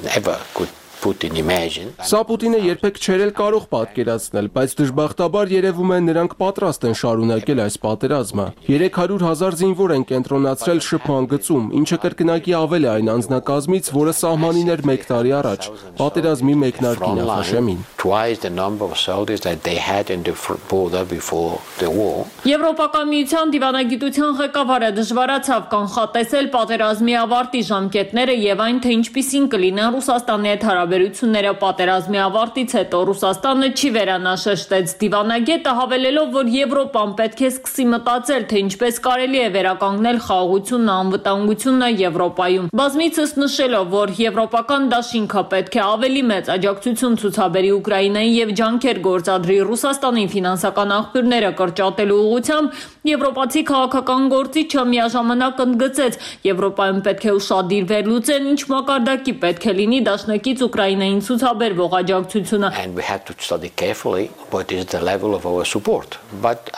never could Putin imagine. Սա Պուտինը երբեք չէր էլ կարող պատկերացնել, բայց դժբախտաբար երևում է նրանք պատրաստ են շարունակել այս պատերազմը։ երեք հարյուր հազար զինվոր են կենտրոնացրել շփման գծում, ինչը կրկնակի ավել է այն անձնակազմից, որը սահմանին էր մեկ տարի առաջ, պատերազմի մեկնարկի նախաշեմին։ Twice the number of soldiers that they had in the border before the war. Եվրոպական միության դիվանագիտության ղեկավարը դժվարացավ կանխատեսել պատերազմի ավարտի ժամկետները եւ այն, թե ինչպիսին կլինեն Ռուսաստանի հետ հարաբերությունները հարաբերությունները պատերազմի ավարտից հետո։ Ռուսաստանը չի վերանաշեշտեց դիվանագետը, հավելելով, որ Եվրոպան պետք է սկսի մտածել, թե ինչպես կարելի է վերականգնել խաղաղությունն, անվտանգությունը Եվրոպայում։ Բազմիցս նշելով, որ եվրոպական դաշինքը պետք է ավելի մեծ աջակցություն ցուցաբերի Ուկրաինային եւ ջանքեր գործադրի Ռուսաստանի ֆինանսական աղբյուրները կրճատելու ուղղությամբ, եվրոպացի քաղաքական գործիչը միաժամանակ ընդգծեց, Եվրոպայում պետք է ուշադիր վերլուծեն, ինչ մակարդակի պետք է լինի դաշնակից Ուկրաինային ցուցաբերվող աջակցությունը։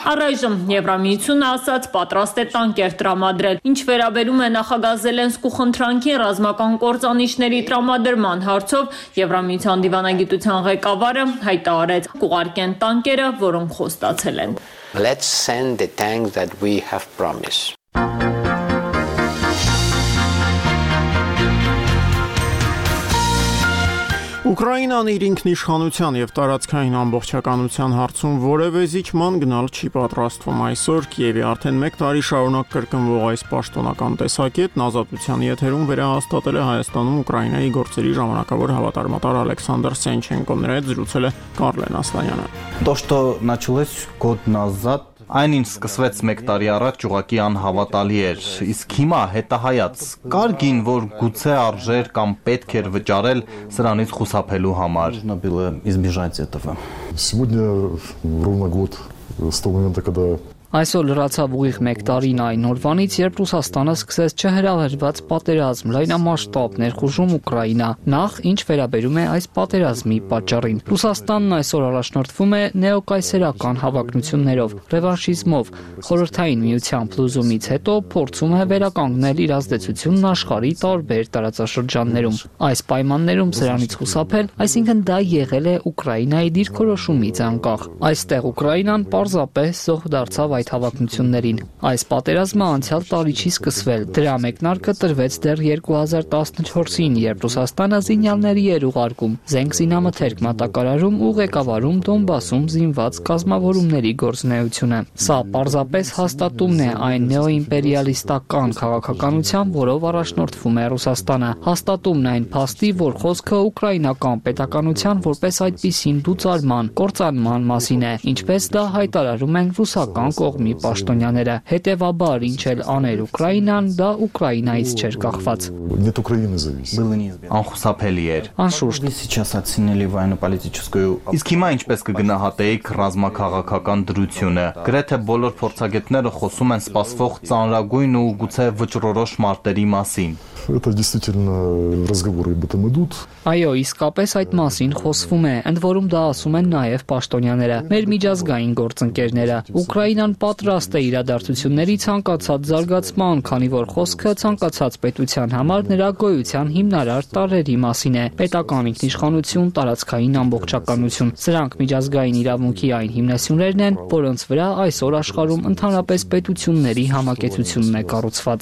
Առայժմ Եվրամիությունը ասաց պատրաստ է տանկեր տրամադրել։ Ինչ վերաբերում է նախագահ Զելենսկու խնդրանքին ռազմական կործանիչների տրամադրման հարցով, Եվրամիության դիվանագիտության ղեկավարը հայտարարեց՝ կուղարկեն տանկերը, որոնք խոստացել են։ Let's send the tanks that we have promised. Ուկրաինան իր ինքնիշխանության եւ տարածքային ամբողջականության հարցում որևէ զիջման գնալ չի պատրաստվում։ Այսօր Կիևի արդեն մեկ տարի շարունակ կրկնվող այս պաշտոնական տեսակետն Ազատության եթերում վերահաստատել է Հայաստանում Ուկրաինայի գործերի ժամանակավոր հավատարմատար Ալեքսանդր Սենչենկոն, նրա հետ զրուցել է Կարլեն Ասլանյանը։ То, что началось год назад, այն ինչ սկսվեց մեկ տարի առաջ, ուղղակի անհավատալի էր, իսկ հիմա հետահայաց կար գին, որ գուցե արժեր կամ պետք էր վճարել սրանից խուսափելու համար։ Нужно было избежать этого. Сегодня ровно год с того момента, когда Այսօր լրացավ ուղիղ մեկ տարին այն օրվանից, երբ Ռուսաստանը սկսեց չհրահրված պատերազմ, լայնամասշտաբ ներխուժում Ուկրաինա, նախ ինչ վերաբերում է այս պատերազմի պատճառին։ Ռուսաստանն այսօր առաջնորդվում է նեոկայսերական հավակնություններով, ռևանշիզմով, խորհրդային միության փլուզումից հետո փորձում է վերականգնել իր ազդեցությունն աշխարհի տարբեր տարածաշրջաններում։ Այս պայմաններում սրանից խուսափել, այսինքն դա եղել է Ուկրաինայի դիրքորոշումից անկախ։ Այստեղ Ուկրաինան պարզապես զոհ դարձավ այդ հավակնություններին։ Այս պատերազմը անցյալ տարի չի սկսվել, դրա մեկնարկը տրվեց դեռ երկու հազար տասնչորսին, երբ Ռուսաստանը զինյալների էր ուղարկում, զենք զինամթերք մատակարարում ու ղեկավարում Դոնբասում զինված կազմավորումների գործունեությունը։ Սա պարզապես հաստատումն է այն նեոիմպերիալիստական քաղաքականության, որով առաջնորդվում է Ռուսաստանը, հաստատումն այն փաստի, որ խոսքը ուկրաինական պետականության որպես այդպիսին դուծարման, կործանման մասին է, ինչպես դա հայտարարում են ռուսական կողմի պաշտոնյաները։ Հետևաբար, ինչ էլ աներ Ուկրաինան, դա Ուկրաինայից չէր կախված։ Անխուսափելի էր։ Անշուշտ сейчас оценили военно-политическую. Իսկ հիմա ինչպես կգնահատեիք ռազմաքաղաքական դրությունը։ Գրեթե բոլոր փորձագետները խոսում են սպասվող ծանրագույն ու գուցե վճռորոշ մարտերի մասին։ Это действительно разговоры об этом идут. Այո, իսկապես այդ մասին խոսվում է, ընդ որում դա ասում են նաև պաշտոնյաները, մեր միջազգային գործընկերները։ Ուկրաինան պատրաստ է իրադարձությունների ցանկացած զարգացման, քանի որ խոսքը ցանկացած պետության համար նրա գոյության հիմնարար տարրերի մասին է՝ պետական ինքնիշխանություն, տարածքային ամբողջականություն։ Սրանք միջազգային իրավունքի այն հիմնասյուներն են, որոնց վրա այսօր աշխարհում ընդհանրապես պետությունների համակեցությունն է կառուցված։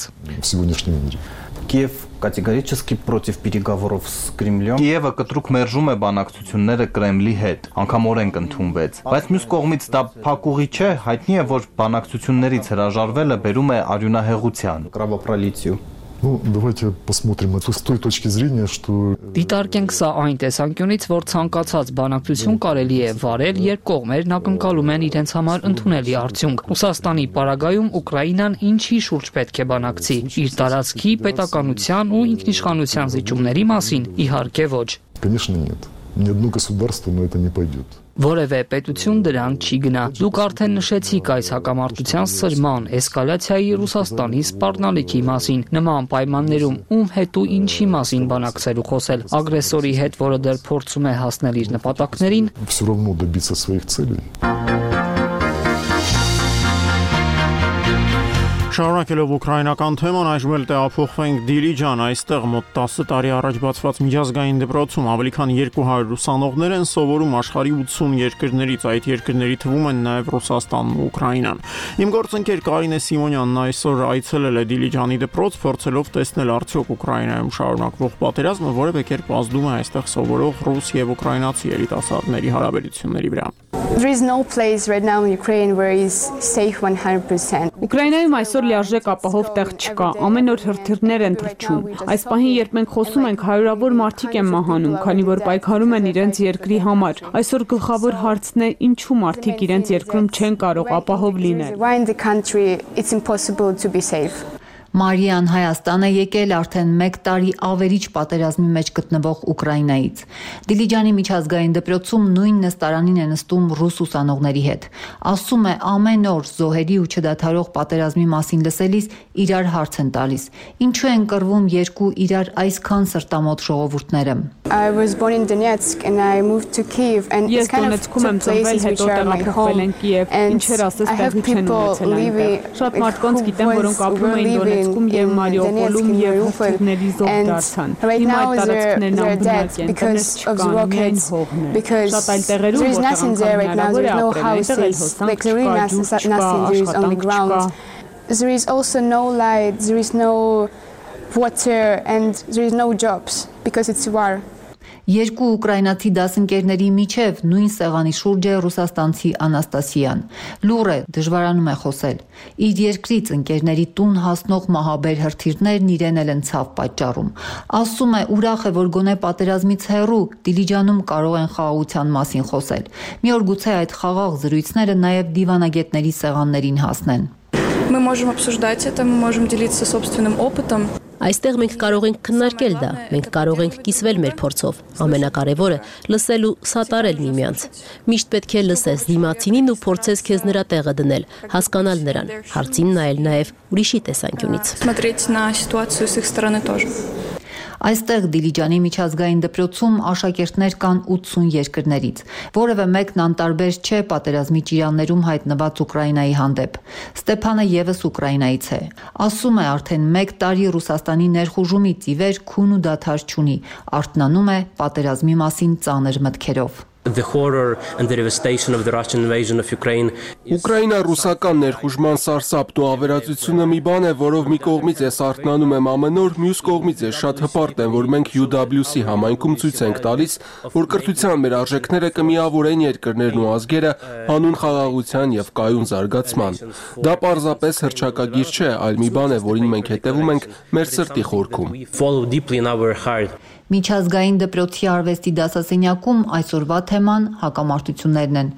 Киев категорически против переговоров с Кремлем. Կիևը կտրուկ մերժում է բանակցությունները Կրեմլի հետ, անգամ օրենք ընդունվեց։ Բայց մյուս կողմից դա փակուղի չէ, հայտնի է, որ բանակցություններից հրաժարվելը բերում է արյունահեղության։ Кровопролитию. Ну, давайте посмотрим это с той точки зрения, что Դիտարկենք սա այն տեսանկյունից, որ ցանկացած բանակցություն կարելի է վարել, երբ կողմերն ակնկալում են իրենց համար ընդունելի արդյունք։ Ռուսաստանի պարագայում Ուկրաինան ինչի շուրջ պետք է բանակցի՝ իր տարածքի, պետականության ու ինքնիշխանության զիջումների մասին, իհարկե ոչ։ Конечно, нет. Ни одно государство на это не пойдет. Որևէ պետություն դրան չի գնա։ Դուք արդեն նշեցիք այս հակամարտության սրման, էսկալացիայի Ռուսաստանի սպառնալիքի մասին։ Նման պայմաններում ում հետ ու ինչի մասին բանակցել ու խոսել։ Ագրեսորի հետ, որը դեռ փորձում է հասնել իր նպատակներին։ Все равно добиться своих целей. Շարունակելով ուկրաինական թեման, այժմ էլ տեղափոխվենք Դիլիջան, այստեղ մոտ տասը տարի առաջ բացված միջազգային դպրոցում ավելի քան երկու հարյուր ուսանողներ են սովորում աշխարհի ութսուն երկրներից, այդ երկրների թվում են նաև Ռուսաստանն ու Ուկրաինան։ Իմ գործընկեր Կարինե Սիմոնյանն այսօր այցելել է Դիլիջանի դպրոց, փորձելով տեսնել արդյոք Ուկրաինայում շարունակվող պատերազմը որևէ կերպ ազդում է այստեղ սովորող ռուս եւ ուկրաինացի երիտասարդների հարաբերությունների վրա։ There is no place right now in Ukraine where is safe one hundred percent. Ուկրաինայում այսօր լիարժեք ապահով տեղ չկա, ամեն օր հրթիռներ են թռչում։ Այս պահին, երբ մենք խոսում ենք, հարյուրավոր մարդիկ են մահանում, քանի որ պայքարում են իրենց երկրի համար։ Այսօր գլխավոր հարցն է, ինչու մարդիկ իրենց երկրում չեն կարող ապահով լինել։ Մարիան Հայաստան է եկել արդեն մեկ տարի ավերիչ պատերազմի մեջ գտնվող Ուկրաինայից։ Դիլիջանի միջազգային դպրոցում նույն նստարանին է նստում ռուս ուսանողների հետ։ Ասում է, ամեն օր զոհերի ու չդադարող պատերազմի մասին լսելիս իրար հարց են տալիս. ինչու են կռվում երկու իրար այսքան սրտամոտ ժողովուրդները։ Ես Դոնեցկում եմ ծնվել, հետո տեղափոխվել են Կիև, ինչեր ասես տեղի չեն ունեցել այնտեղ։ Շատ մարդկանց գիտեմ, որոնք ապրում էին Դոնեցկում և Մարիուպոլում և հրթիռների զոհ դարձան։ Հիմա այդ տարածքներն անբնակ են, տներ չկան, միայն հողն է։ Շատ այլ տեղերում, որտեղ անգամ հնարավոր է ապրել, այնտեղ էլ հոսանք չկա, ջուր չկա, աշխատանք չկա։ There is also no light, there is no water and there is no jobs because it's war. Երկու ուկրաինացի դասընկերների միջև նույն սեղանի շուրջ է ռուսաստանցի Անաստասիան։ Լուր է, դժվարանում է խոսել։ Իր երկրից ընկերների տուն հասնող մահաբեր հրթիռներն իրեն էլ են ցավ պատճառում։ Ասում է, ուրախ է, որ գոնե պատերազմից հեռու Դիլիջանում կարող են խաղաղության մասին խոսել։ Մի օր գուցե այդ խաղաղ զրույցները նաև դիվանագետների սեղաններին հասնեն։ Мы можем обсуждать это, мы можем делиться собственным опытом. Այստեղ մենք կարող ենք քննարկել դա, մենք կարող ենք կիսվել մեր փորձով։ Ամենակարևորը լսել ու սատարել միմյանց։ Միշտ պետք է լսես դիմացինին ու փորձես քեզ նրա տեղը դնել, հասկանալ նրան, հարցին նայել նաև ուրիշի տեսանկյունից։ Смотреть на ситуацию с их стороны тоже. Այստեղ Դիլիջանի միջազգային դպրոցում աշակերտներ կան ութսուն երկրներից, որևէ մեկն անտարբեր չէ պատերազմի ճիրաններում հայտնված Ուկրաինայի հանդեպ։ Ստեփանը եւս Ուկրաինայից է։ Ասում է, արդեն մեկ տարի Ռուսաստանի ներխուժումից ի վեր քուն ու դադար չունի, արթնանում է պատերազմի մասին ծանր մտքերով։ The horror and the devastation of the Russian invasion of Ukraine. Ուկրաինա-ռուսական ներխուժման սարսափն ու ավերածությունը մի բան է, որով մի կողմից ես արթնանում եմ ամեն օր, մյուս կողմից ես շատ հպարտ եմ, որ մենք յու դաբլյու սի համայնքում ցույց ենք տալիս, որ կրթության մեր արժեքները կմիավորեն երկրներն ու ազգերը հանուն խաղաղության եւ կայուն զարգացման։ Դա պարզապես հռչակագիր չէ, այլ մի բան է, որին մենք հետևում ենք մեր սրտի խորքում։ Միջազգային դպրոցի արվեստի դասասենյակում այսօրվա թեման հակամարտություններն են։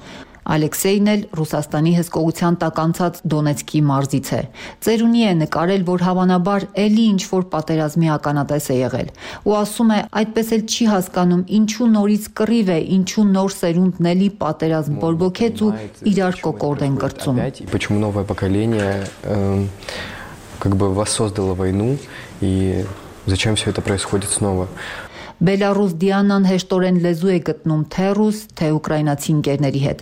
Ալեքսեյն էլ Ռուսաստանի հսկողության տակ անցած Դոնեցկի մարզից է։ Ծերունի է նկարել, որ հավանաբար էլի ինչ-որ պատերազմի ականատես է եղել։ Ու ասում է, այդպես էլ չի հասկանում, ինչու նորից կռիվ է, ինչու նոր սերունդն էլի պատերազմ բորբոքեց ու իրար կոկորդ են կրծում։ Почему новое поколение как бы воссоздало войну и зачем все это происходит снова? Բելարուս Դիանան հեշտորեն լեզու է գտնում թե ռուս, թե ուկրաինացի ընկերների հետ։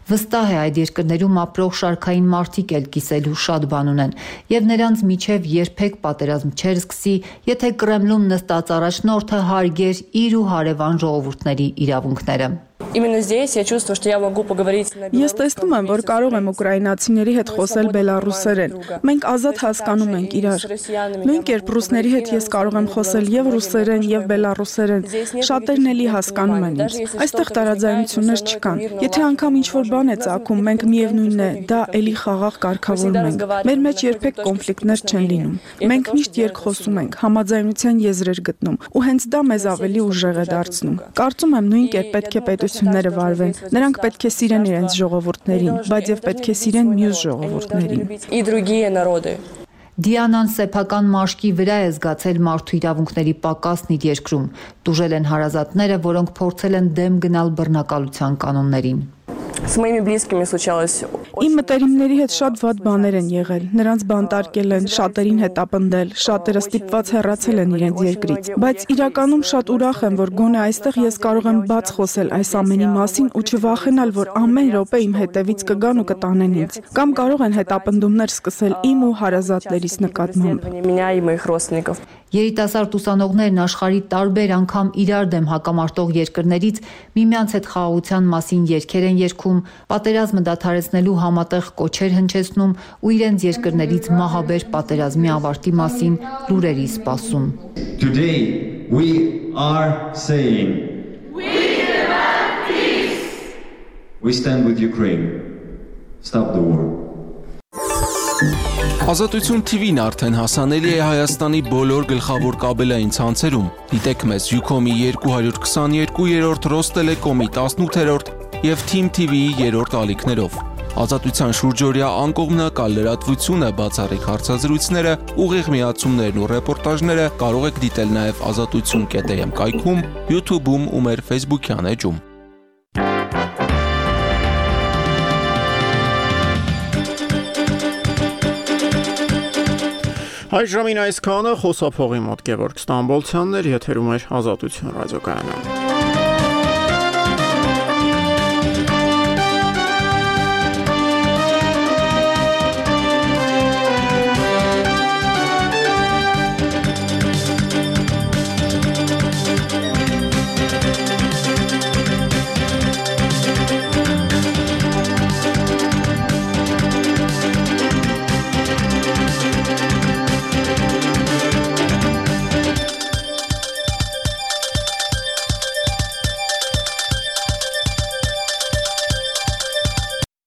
Վստահ է այդ երկրներում ապրող շարքային մարդիկ էլ կիսելու շատ բան ունեն, եւ նրանց միջև երբեք պատերազմ չեր սկսի, եթե Կրեմլում նստած առաջնորդը հարգեր իր ու հարևան ժողովուրդների իրավունքները։ Именно здесь я чувствую, что я могу поговорить на Ես տեսնում եմ, որ կարող եմ ուկրաինացիների հետ խոսել բելարուսերեն։ Մենք ազատ հասկանում ենք իրար։ Նույն կերպ ռուսների հետ ես կարող եմ խոսել եւ ռուսերեն եւ բելարուսերեն։ Շատերն էլի հասկանում են ինձ։ Այստեղ տարաձայնություններ չկան։ Եթե անգամ ինչ-որ բան է ծագում, մենք միևնույնն է, դա էլի խաղաղ կարգավորում ենք։ Մեր մեջ երբեք կոնֆլիկտներ չեն լինում։ Մենք միշտ երկխոսում ենք, համաձայնության եզրեր գտնում, ու հենց դա մեզ ավելի ուժեղ է դարձնում։ Կարծում եմ նույն կերպ պետք է պետությունները վարվեն։ Նրանք պետք է սիրեն իրենց ժողովուրդներին, բայց եւ պետք է սիրեն մյուս ժողովուրդներին։ Դիանան սեփական մաշկի վրա է զգացել մարդու իրավունքների պակասն իր երկրում։ Տուժել են հարազատները, որոնք փորձել են դեմ գնալ բռնակալության կանոններին։ С моими близкими случалось. Իմ մտերիմների հետ շատ վատ բաներ են եղել։ Նրանց բանտարկել են, շատերին հետապնդել, շատերը ստիպված հեռացել են իրենց երկրից։ Բայց իրականում շատ ուրախ եմ, որ գոնե այստեղ ես կարող եմ բաց խոսել այս ամենի մասին ու չվախենալ, որ ամեն րոպե իմ հետևից կգան ու կտանեն ինձ։ Կամ կարող են հետապնդումներ սկսել իմ ու հարազատներիս նկատմամբ։ Երիտասարդ ուսանողներն աշխարհի տարբեր անգամ իրար դեմ հակամարտող երկրներից միմյանց հետ խաղաղության մասին երգեր են երգում, պատերազմը դադարեցնելու համատեղ կոչեր հնչեցնում ու իրենց երկրներից մահաբեր պատերազմի ավարտի մասին լուրերի սպասում։ Today we are saying we demand peace. We stand with Ukraine. Stop the war. Ազատություն T V-ն արդեն հասանելի է Հայաստանի բոլոր գլխավոր կաբելային ցանցերում։ Դիտեք մեզ Ucom-ի երկու քսաներկու, Ռոստելեկոմի տասնութերորդ եւ Team T V-ի երրորդ ալիքներով։ Ազատության շուրջօրյա անկողմնակալ լրատվությունը, բացառիկ հարցազրույցները, ուղիղ միացումներն ու ռեպորտաժները կարող եք դիտել նաեւ ազատություն կետ am կայքում, YouTube-ում ու մեր Facebook-յան էջում։ Այժմին այսքանը խոսափողի մոտ Գևորգ Ստամբոլցյանն էր, եթերում էր Ազատություն ռադիոկայանը։